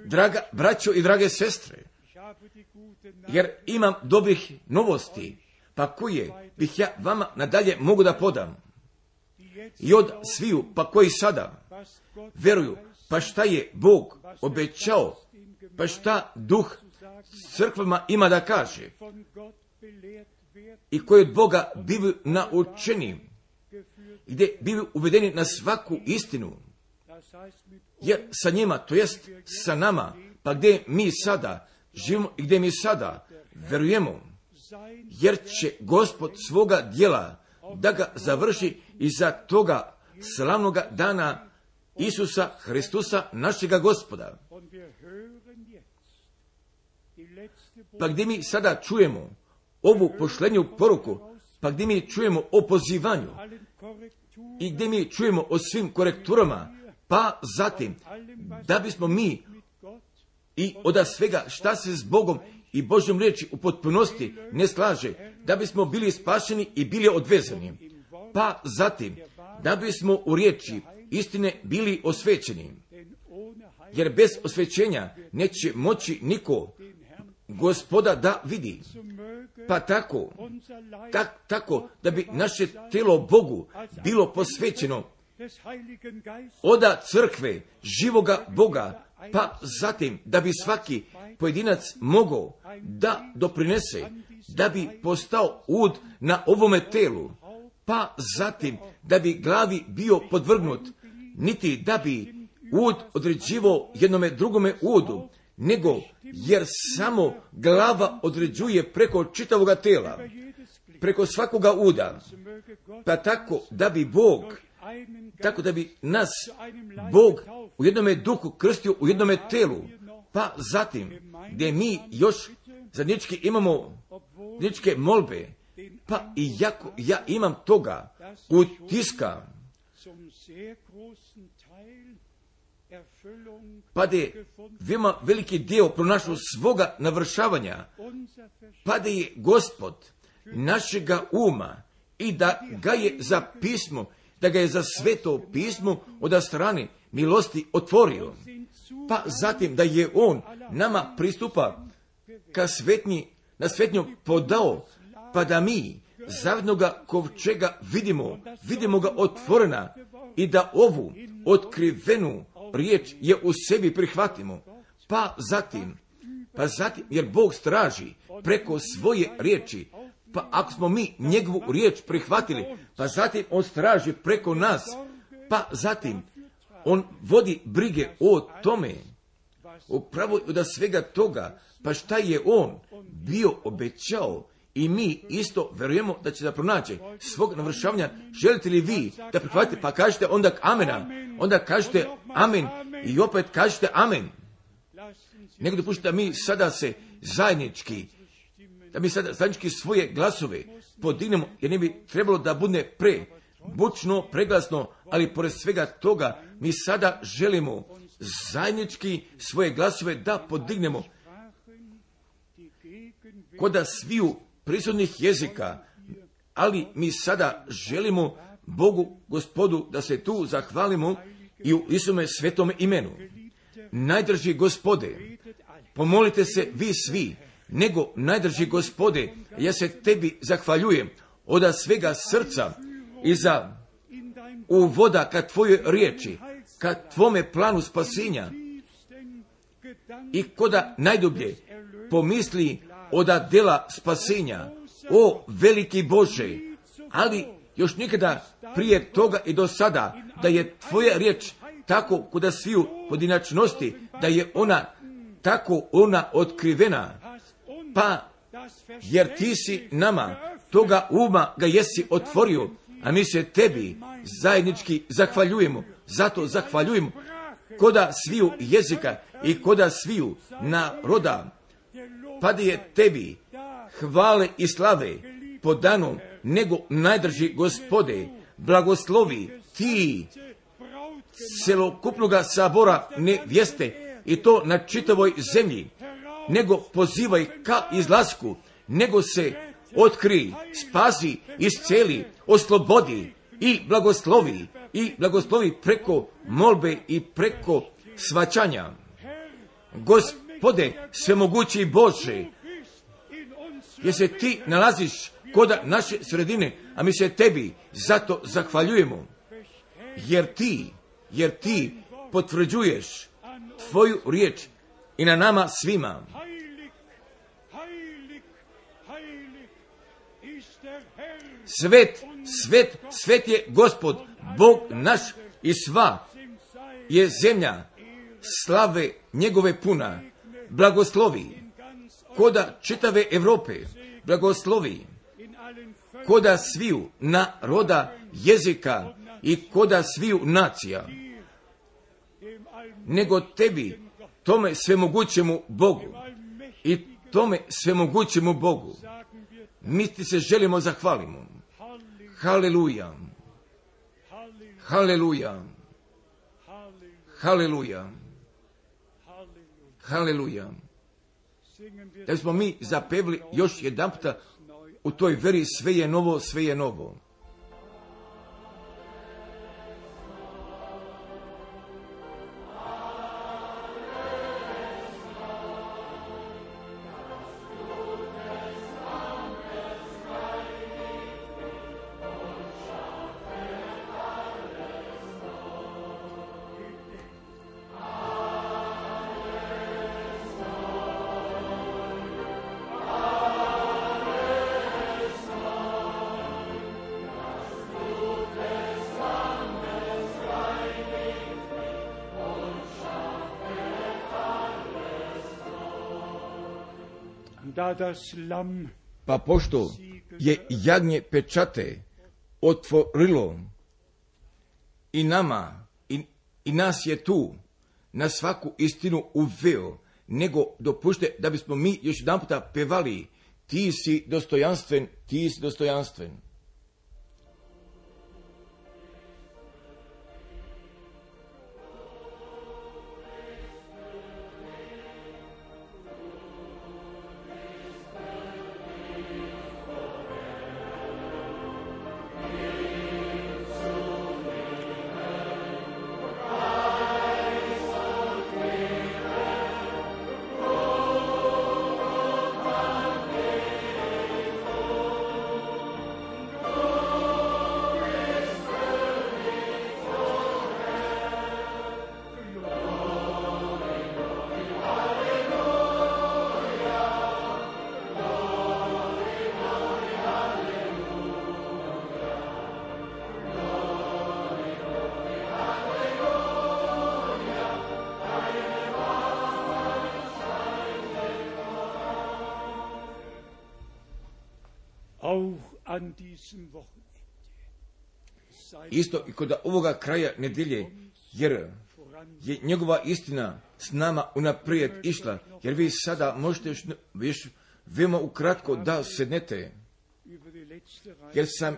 Draga braćo i drage sestre, jer imam dobrih novosti, pa koje bih ja vama nadalje mogu da podam. I od sviju, pa koji sada veruju, pa šta je Bog obećao, pa šta Duh crkvama ima da kaže, i koji od Boga bivaju naučeni, gdje bivaju uvedeni na svaku istinu, jer sa njima, to jest sa nama, pa gdje mi sada živimo i gdje mi sada verujemo, jer će Gospod svoga djela da ga završi iza toga slavnoga dana Isusa Hristusa, našega Gospoda. Pa gdje mi sada čujemo ovu pošlenju poruku, pa gdje mi čujemo o pozivanju i gdje mi čujemo o svim korekturama, pa zatim da bismo mi i od svega šta se s Bogom i Božjom riječi u potpunosti ne slaže, da bismo bili spašeni i bili odvezani, pa zatim da bismo u riječi istine bili osvećeni, jer bez osvećenja neće moći niko Gospoda da vidi. Pa tako, tak, tako da bi naše telo Bogu bilo posvećeno oda crkve živoga Boga, pa zatim da bi svaki pojedinac mogao da doprinese, da bi postao ud na ovome telu, pa zatim da bi glavi bio podvrgnut, niti da bi ud određivao jednome drugome udu, nego jer samo glava određuje preko čitavoga tela, preko svakoga uda, pa tako da bi Bog, tako da bi nas Bog u jednome duhu krstio u jednome telu, pa zatim gdje mi još zajednički imamo zajedničke molbe, pa i jako ja imam toga utiska, pa da je veoma veliki dio pronašao svoga navršavanja, pa da je Gospod našega uma i da ga je za pismo, da ga je za sveto pismo od strane milosti otvorio, pa zatim da je on nama pristupa ka svetnji, na svetnju podao, pa da mi zavednoga kovčega vidimo, vidimo ga otvorena i da ovu otkrivenu riječ je u sebi prihvatimo, pa zatim, pa zatim, jer Bog straži preko svoje riječi, pa ako smo mi njegovu riječ prihvatili, pa zatim on straži preko nas, pa zatim on vodi brige o tome, upravo od svega toga, pa šta je on bio obećao i mi isto verujemo da će da pronaći svog navršavanja. Želite li vi da prihvatite, pa kažete onda amena, onda kažete amen i opet kažete amen. Nego dopustite da mi sada se zajednički, da mi sada zajednički svoje glasove podignemo, jer ne bi trebalo da bude pre bučno, preglasno, ali pored svega toga mi sada želimo zajednički svoje glasove da podignemo koda sviju prisutnih jezika, ali mi sada želimo Bogu Gospodu da se tu zahvalimo i u Isume svetome imenu. Najdrži Gospode, pomolite se vi svi, nego najdrži Gospode, ja se tebi zahvaljujem od svega srca i za uvoda ka tvojoj riječi, ka tvome planu spasenja i koda najdublje pomisli oda dela spasenja. O veliki Bože, ali još nikada prije toga i do sada da je tvoja riječ tako kuda sviju pojedinačnosti, da je ona tako ona otkrivena, pa jer ti si nama toga uma ga jesi otvorio, a mi se tebi zajednički zahvaljujemo, zato zahvaljujemo koda sviju jezika i koda sviju naroda, pa da je tebi hvale i slave podano, nego najdrži Gospode, blagoslovi ti celokupnoga sabora nevjeste i to na čitavoj zemlji, nego pozivaj ka izlasku, nego se otkri, spasi, isceli, oslobodi i blagoslovi, i blagoslovi preko molbe i preko svaćanja. Gospode, svemogući Bože, jer se ti nalaziš koda naše sredine, a mi se tebi zato zahvaljujemo, jer ti, jer ti potvrđuješ tvoju riječ i na nama svima. Svet, svet, svet je Gospod, Bog naš i sva je zemlja slave njegove puna. Blagoslovi koda čitave Evrope, blagoslovi koda sviju naroda, jezika i koda sviju nacija, nego tebi, tome svemogućemu Bogu i tome svemogućemu Bogu mi ti se želimo zahvalimo. Haleluja, haleluja, haleluja, haleluja. Da smo mi zapevli još jedan puta u toj veri sve je novo, sve je novo. Pa pošto je jagnje pečate otvorilo i nama, i, i nas je tu na svaku istinu uveo, nego dopušte da bismo mi još jedan puta pevali ti si dostojanstven, ti si dostojanstven. Isto i kod ovoga kraja nedjelje, jer je njegova istina s nama unaprijed išla, jer vi sada možete još, još veoma ukratko da sednete, jer sam,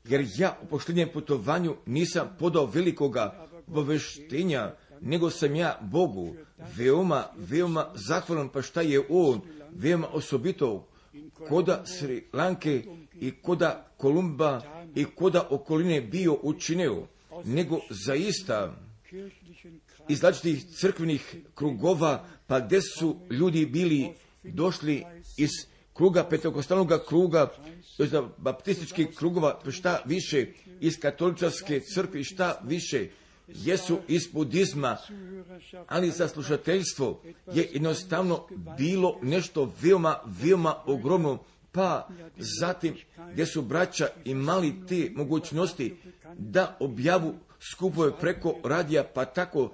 jer ja u posljednjem putovanju nisam podao velikoga obaveštenja, nego sam ja Bogu veoma, veoma zahvalan, pa šta je On veoma osobito koda Sri Lanke i koda Kolumba i koda okoline bio učinio, nego zaista iz različitih crkvenih krugova, pa gdje su ljudi bili došli iz kruga, pentekostalnog kruga, iz baptističkih krugova, šta više, iz katoličarske crkve, šta više, jesu iz budizma, ali za slušateljstvo je jednostavno bilo nešto veoma, veoma ogromno, pa zatim gdje su braća imali te mogućnosti da objavu skupove preko radija, pa tako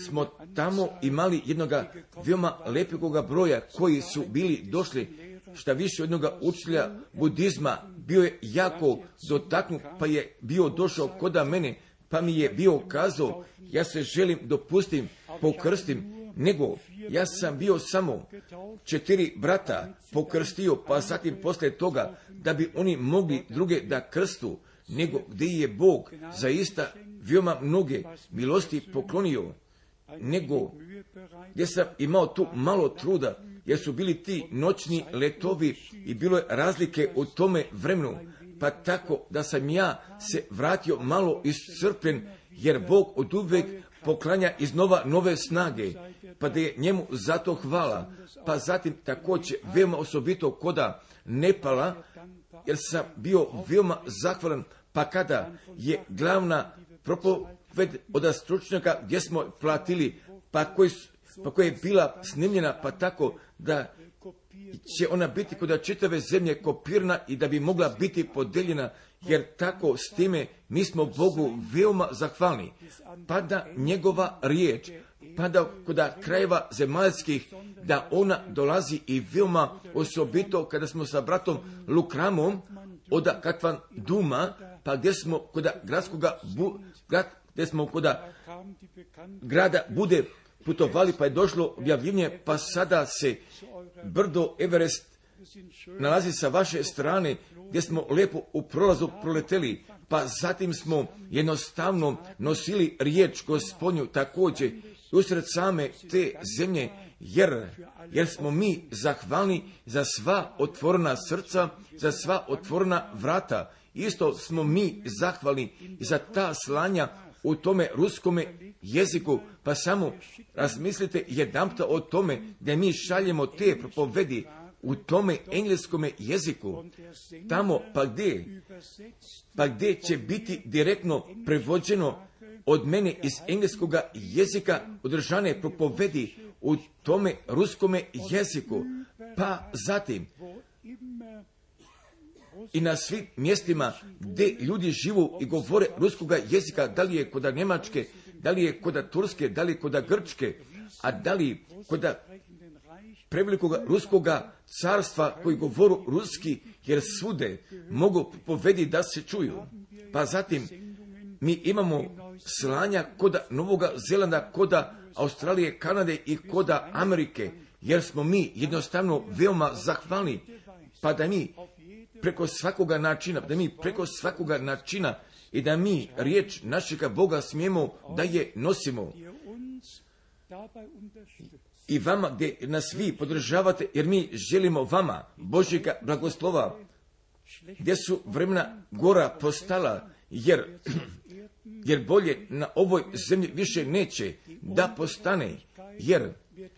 smo tamo imali jednoga veoma lepekoga broja koji su bili došli, šta više od jednoga učitelja budizma bio je jako dotaknut, pa je bio došao koda mene, pa mi je bio kazao, ja se želim dopustim, pokrstim, nego ja sam bio samo četiri brata pokrstio, pa zatim poslije toga da bi oni mogli druge da krstu, nego gdje je Bog zaista veoma mnoge milosti poklonio, nego gdje sam imao tu malo truda, jer su bili ti noćni letovi i bilo je razlike u tome vremenu, pa tako da sam ja se vratio malo iscrpljen, jer Bog od uvijek poklanja iznova nove snage, pa da je njemu zato hvala. Pa zatim također veoma osobito koda Nepala, jer sam bio veoma zahvalan, pa kada je glavna propoved od stručnjaka gdje smo platili, pa koji pa koja je bila snimljena, pa tako da će ona biti kod čitave zemlje kopirana i da bi mogla biti podeljena, jer tako s time mi smo Bogu veoma zahvalni. Pa da njegova riječ, pa da kod krajeva zemaljskih, da ona dolazi i veoma osobito kada smo sa bratom Lukramom od Katvan Duma, pa gdje smo kod gradskoga, bu, grad, gdje smo kod grada Bude putovali, pa je došlo objavljivanje, pa sada se brdo Everest nalazi sa vaše strane, gdje smo lijepo u prolazu proleteli, pa zatim smo jednostavno nosili riječ Gospodnju također usred same te zemlje, jer, jer smo mi zahvalni za sva otvorena srca, za sva otvorena vrata. Isto smo mi zahvalni za ta slanja u tome ruskome jeziku, pa samo razmislite jedanputa o tome da mi šaljemo te propovedi u tome engleskome jeziku, tamo pa gdje, pa gdje će biti direktno prevođeno od mene iz engleskoga jezika održane propovedi u tome ruskome jeziku, pa zatim i na svim mjestima gdje ljudi živu i govore ruskoga jezika, da li je kod Njemačke, da li je kod Turske, da li je kod Grčke, a da li kod prevelikoga ruskoga carstva koji govoru ruski, jer svude mogu povedi da se čuju. Pa zatim mi imamo slanja kod Novoga Zelanda, kod Australije, Kanade i kod Amerike, jer smo mi jednostavno veoma zahvalni, pa da mi preko svakoga načina, da mi preko svakoga načina i da mi riječ našega Boga smijemo da je nosimo. I vama gdje nas vi podržavate, jer mi želimo vama Božjega blagoslova, gdje su vremena gora postala, jer, jer bolje na ovoj zemlji više neće da postane, jer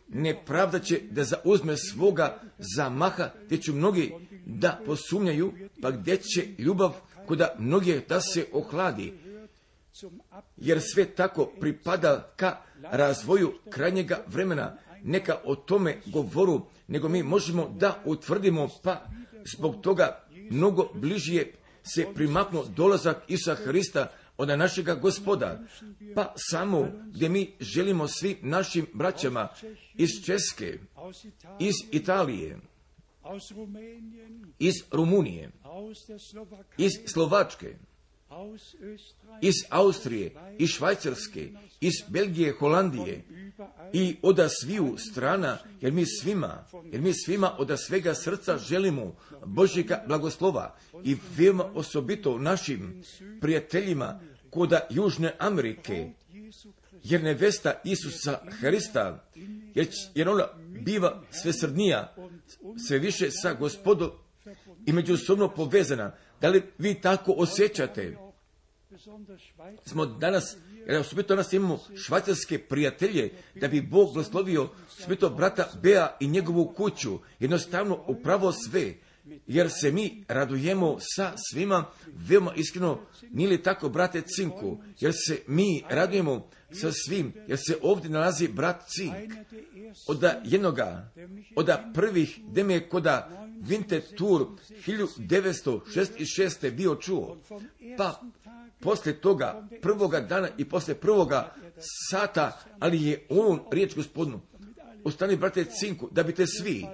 nepravda će da zauzme svoga zamaha, gdje će mnogi da posumnjaju, pa gdje će ljubav kuda mnogi da se ohladi, jer sve tako pripada ka razvoju krajnjega vremena. Neka o tome govoru, nego mi možemo da utvrdimo, pa zbog toga mnogo bližije se primaknuo dolazak Isusa Hrista od našega Gospoda, pa samo gdje mi želimo svim našim braćama iz Česke, iz Italije, iz Rumunije, iz Slovačke, iz Austrije, iz Švajcarske, iz Belgije, Holandije i od sviju strana, jer mi svima, jer mi svima od svega srca želimo Božjega blagoslova i veoma osobito našim prijateljima koda Južne Amerike, jer nevesta Isusa Hrista, jer, jer ona biva sve srdnija, sve više sa Gospodom i međusobno povezana. Da li vi tako osjećate? Smo danas, jer osobito danas imamo švajcarske prijatelje, da bi Bog blagoslovio osobito brata Bea i njegovu kuću, jednostavno upravo sve, jer se mi radujemo sa svima, veoma iskreno, nije li tako, brate Cinku, jer se mi radujemo sa svim, jer se ovdje nalazi brat Cink, od jednoga, od prvih, gdje me je koda Winterthur hiljadu devetsto šezdeset šeste bio čuo, pa poslije toga prvoga dana i poslije prvoga sata, ali je on riječ Gospodinu, ostani brate Cinku, da biste svi,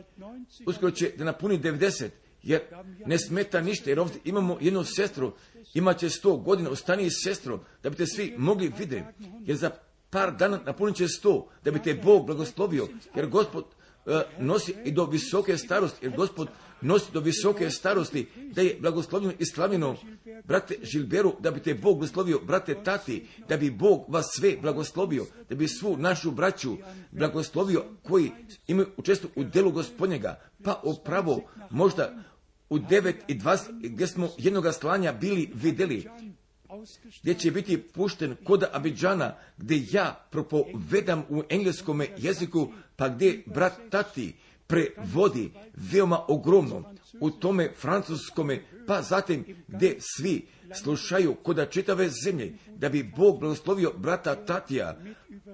uskoro će da napuni devedeset, jer ne smeta ništa, jer ovdje imamo jednu sestru, imat će sto godina, ostani sestro, da biste svi mogli vidjeti, jer za par dana napunit će sto, da bi te Bog blagoslovio, jer Gospod uh, nosi i do visoke starosti, jer Gospod nosi do visoke starosti, da je blagoslovljeno i slavljeno, brate Žilberu, da bi te Bog blagoslovio, brate Tati, da bi Bog vas sve blagoslovio, da bi svu našu braću blagoslovio koji imaju učestvo u delu Gospodnjega, pa upravo možda u devet i dvadeset gdje smo jednoga slanja bili vidjeli, gdje će biti pušten kod Abidžana, gdje ja propovedam u engleskome jeziku, pa gdje brat Tati prevodi veoma ogromno u tome francuskome, pa zatim gdje svi slušaju kod čitave zemlje, da bi Bog blagoslovio brata Tatija,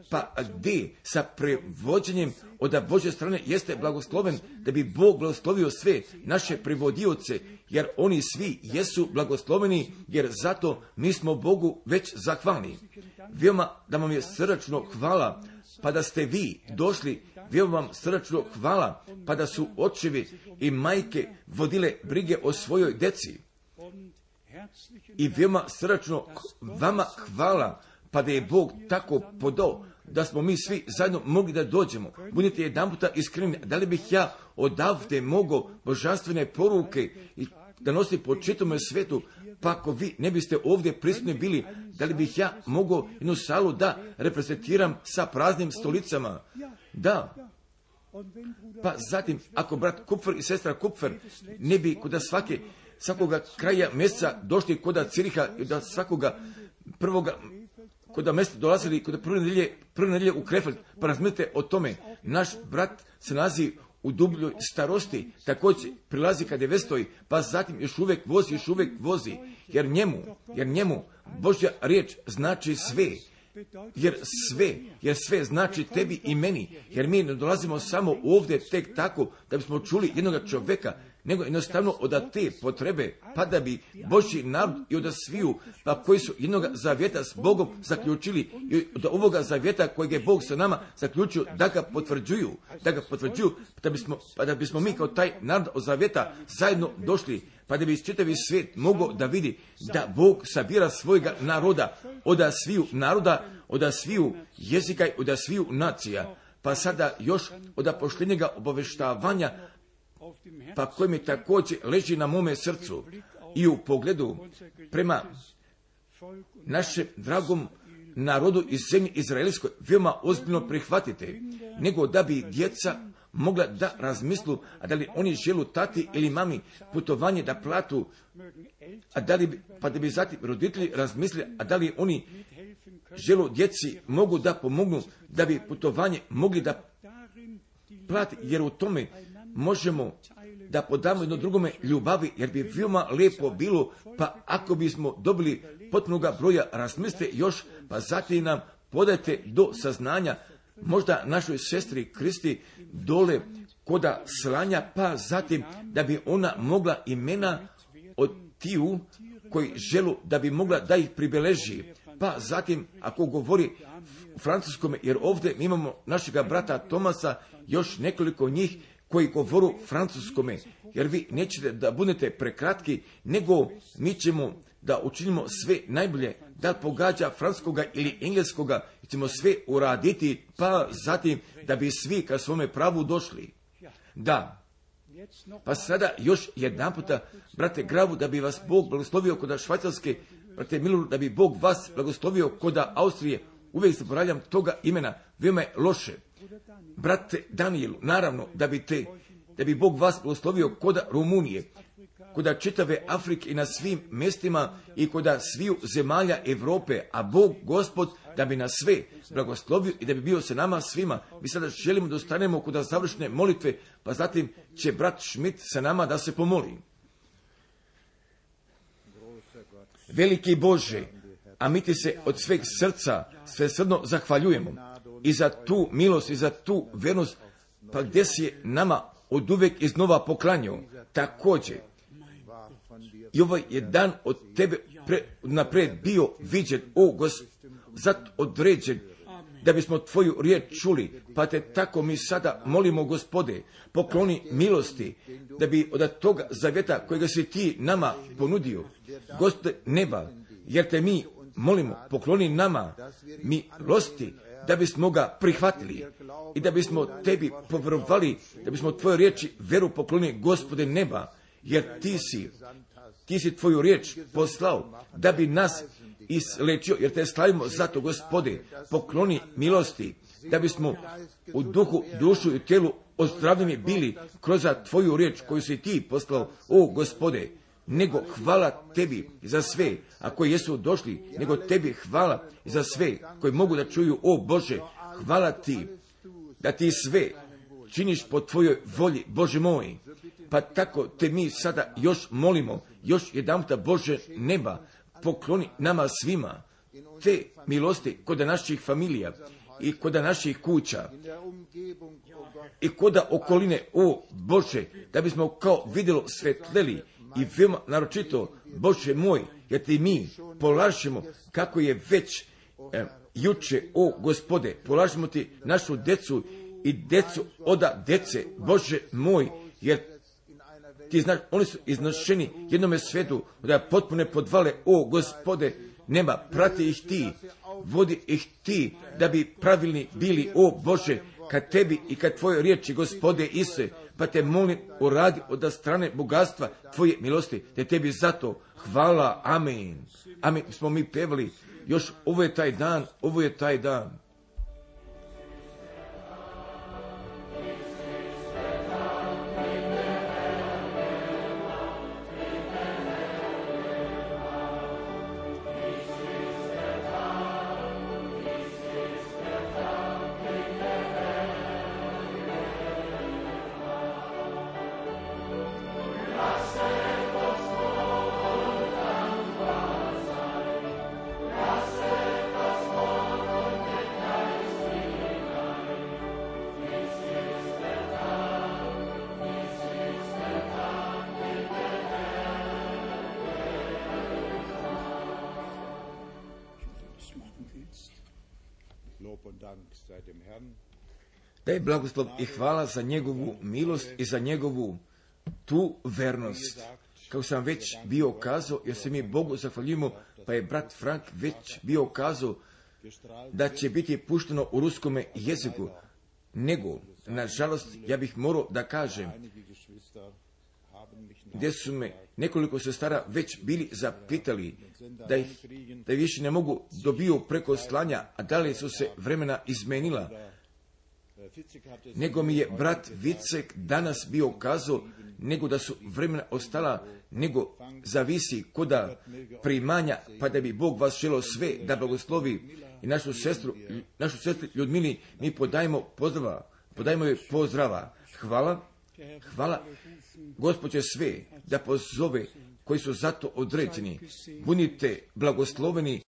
pa gdje sa prevođenjem od Božje strane jeste blagosloven, da bi Bog blagoslovio sve naše prevodioce, jer oni svi jesu blagosloveni, jer zato mi smo Bogu već zahvalni. Veoma da vam je srdačno hvala, pa da ste vi došli, veoma vam srdačno hvala, pa da su očevi i majke vodile brige o svojoj deci. I veoma srdačno vama hvala, pa da je Bog tako podao, da smo mi svi zajedno mogli da dođemo. Budite jedan puta iskreni, da li bih ja odavde mogao božanstvene poruke i da nosi po čitome svetu, pa ako vi ne biste ovdje prisutni bili, da li bih ja mogao jednu salu da reprezentiram sa praznim stolicama? Da. Pa zatim, ako brat Kupfer i sestra Kupfer ne bi kod svake, svakoga kraja mjeseca došli kod Ciriha i da svakoga prvoga kod mjesta dolazili kod prve nedelje, prve nedelje u Krefeld, pa razmislite o tome. Naš brat se nalazi u dubljoj starosti, također prilazi kad je vestoji, pa zatim još uvijek vozi, još uvijek vozi, jer njemu, jer njemu Božja riječ znači sve, jer sve, jer sve znači tebi i meni, jer mi ne dolazimo samo ovdje tek tako da bismo čuli jednoga čovjeka, nego jednostavno od te potrebe, pa da bi Božji narod i od sviju, pa koji su jednoga zavjeta s Bogom zaključili i od ovoga zavjeta kojeg je Bog sa nama zaključio, da ga potvrđuju, da ga potvrđuju, da bismo, pa da bismo mi kao taj narod od zavjeta zajedno došli, pa da bi čitavi svijet mogao da vidi da Bog sabira svojega naroda, od sviju naroda, od sviju jezika i od sviju nacija. pa sada još od apoštenjega obaveštavanja, pa koji mi također leži na mome srcu i u pogledu prema našem dragom narodu iz zemlje izraelskoj veoma ozbiljno prihvatite, nego da bi djeca mogla da razmislu, a da li oni želu tati ili mami putovanje da platu, a da li, pa da bi zatim roditelji razmislili, a da li oni želu djeci mogu da pomognu, da bi putovanje mogli da plati, jer u tome možemo da podamo jedno drugome ljubavi, jer bi veoma lijepo bilo, pa ako bismo dobili potpunoga broja, razmislite još, pa zatim nam podajte do saznanja, možda našoj sestri Kristi dole koda slanja, pa zatim da bi ona mogla imena od tiju koji želu da bi mogla da ih pribeleži, pa zatim ako govori u francuskome, jer ovdje imamo našega brata Tomasa, još nekoliko njih koji govoru francuskome, jer vi nećete da budete prekratki, nego mi ćemo da učinimo sve najbolje, da pogađa francuskoga ili engleskoga, i ćemo sve uraditi, pa zatim da bi svi ka svome pravu došli. Da, pa sada još jedan puta, brate Gravu, da bi vas Bog blagoslovio kod Švajcarske, brate Milu, da bi Bog vas blagoslovio kod Austrije, uvijek se ponavljam toga imena, veoma je loše. Brate Danielu, naravno, da bi te, da bi Bog vas blagoslovio kod Rumunije, kod čitave Afrike i na svim mjestima i kod sviju zemalja Europe, a Bog Gospod da bi nas sve blagoslovio i da bi bio sa nama svima. Mi sada želimo da ostanemo kod završne molitve, pa zatim će brat Schmidt sa nama da se pomoli. Veliki Bože, a mi ti se od sveg srca svesrdno zahvaljujemo i za tu milost i za tu vernost, pa gdje si nama od uvek iznova poklanjao. Također, i ovaj je dan od tebe pre, napred bio viđen, o Gospod, zato određen, da bismo tvoju riječ čuli, pa te tako mi sada molimo, Gospode, pokloni milosti, da bi od toga zavjeta kojega si ti nama ponudio, Gospode neba, jer te mi molimo, pokloni nama milosti, da bismo ga prihvatili i da bismo tebi povjerovali, da bismo tvoje riječi veru pokloni, Gospode neba, jer ti si, ti si tvoju riječ poslao, da bi nas islečio, jer te slavimo zato, Gospode, pokloni milosti, da bismo u duhu, dušu i tijelu ozdravljeni bili kroz tvoju riječ koju si ti poslao, o Gospode, nego hvala tebi za sve, a koji jesu došli, nego tebi hvala za sve koji mogu da čuju, o Bože, hvala ti, da ti sve činiš po tvojoj volji, Bože moj. Pa tako te mi sada još molimo, još jedanputa, Bože neba, pokloni nama svima te milosti kod naših familija i kod naših kuća i kod okoline, o Bože, da bismo kao vidjelo svetleli i veoma naročito, Bože moj, jer ti mi polažemo kako je već eh, juče, o Gospode, polažemo ti našu decu i decu oda dece, Bože moj, jer ti znaš, oni su iznošeni jednome svetu, da potpune podvale, o Gospode, nema, prati ih ti, vodi ih ti, da bi pravilni bili, o Bože, kad tebi i kad tvoje riječi, Gospode Isuse, pa te molim, uradi od strane bogatstva tvoje milosti, te tebi zato hvala, amen. Amen, smo mi pevali, još ovo je taj dan, ovo je taj dan. Da je blagoslov i hvala za njegovu milost i za njegovu tu vernost. Kao sam već bio kazao, jer se mi Bogu zahvaljujemo, pa je brat Frank već bio kazao da će biti pušteno u ruskome jeziku. nego, nažalost, ja bih morao da kažem, gdje su me nekoliko sestara već bili zapitali da ih da više ne mogu dobiju preko slanja, a da li su se vremena izmenila, nego mi je brat Vicek danas bio kazao, nego da su vremena ostala, nego zavisi koda primanja, pa da bi Bog vas želio sve da blagoslovi i našu sestru, našu sestru Ljudmili, mi podajemo pozdrava, podajemo joj pozdrava. Hvala, hvala Gospođe sve da pozove koji su zato određeni. Budite blagosloveni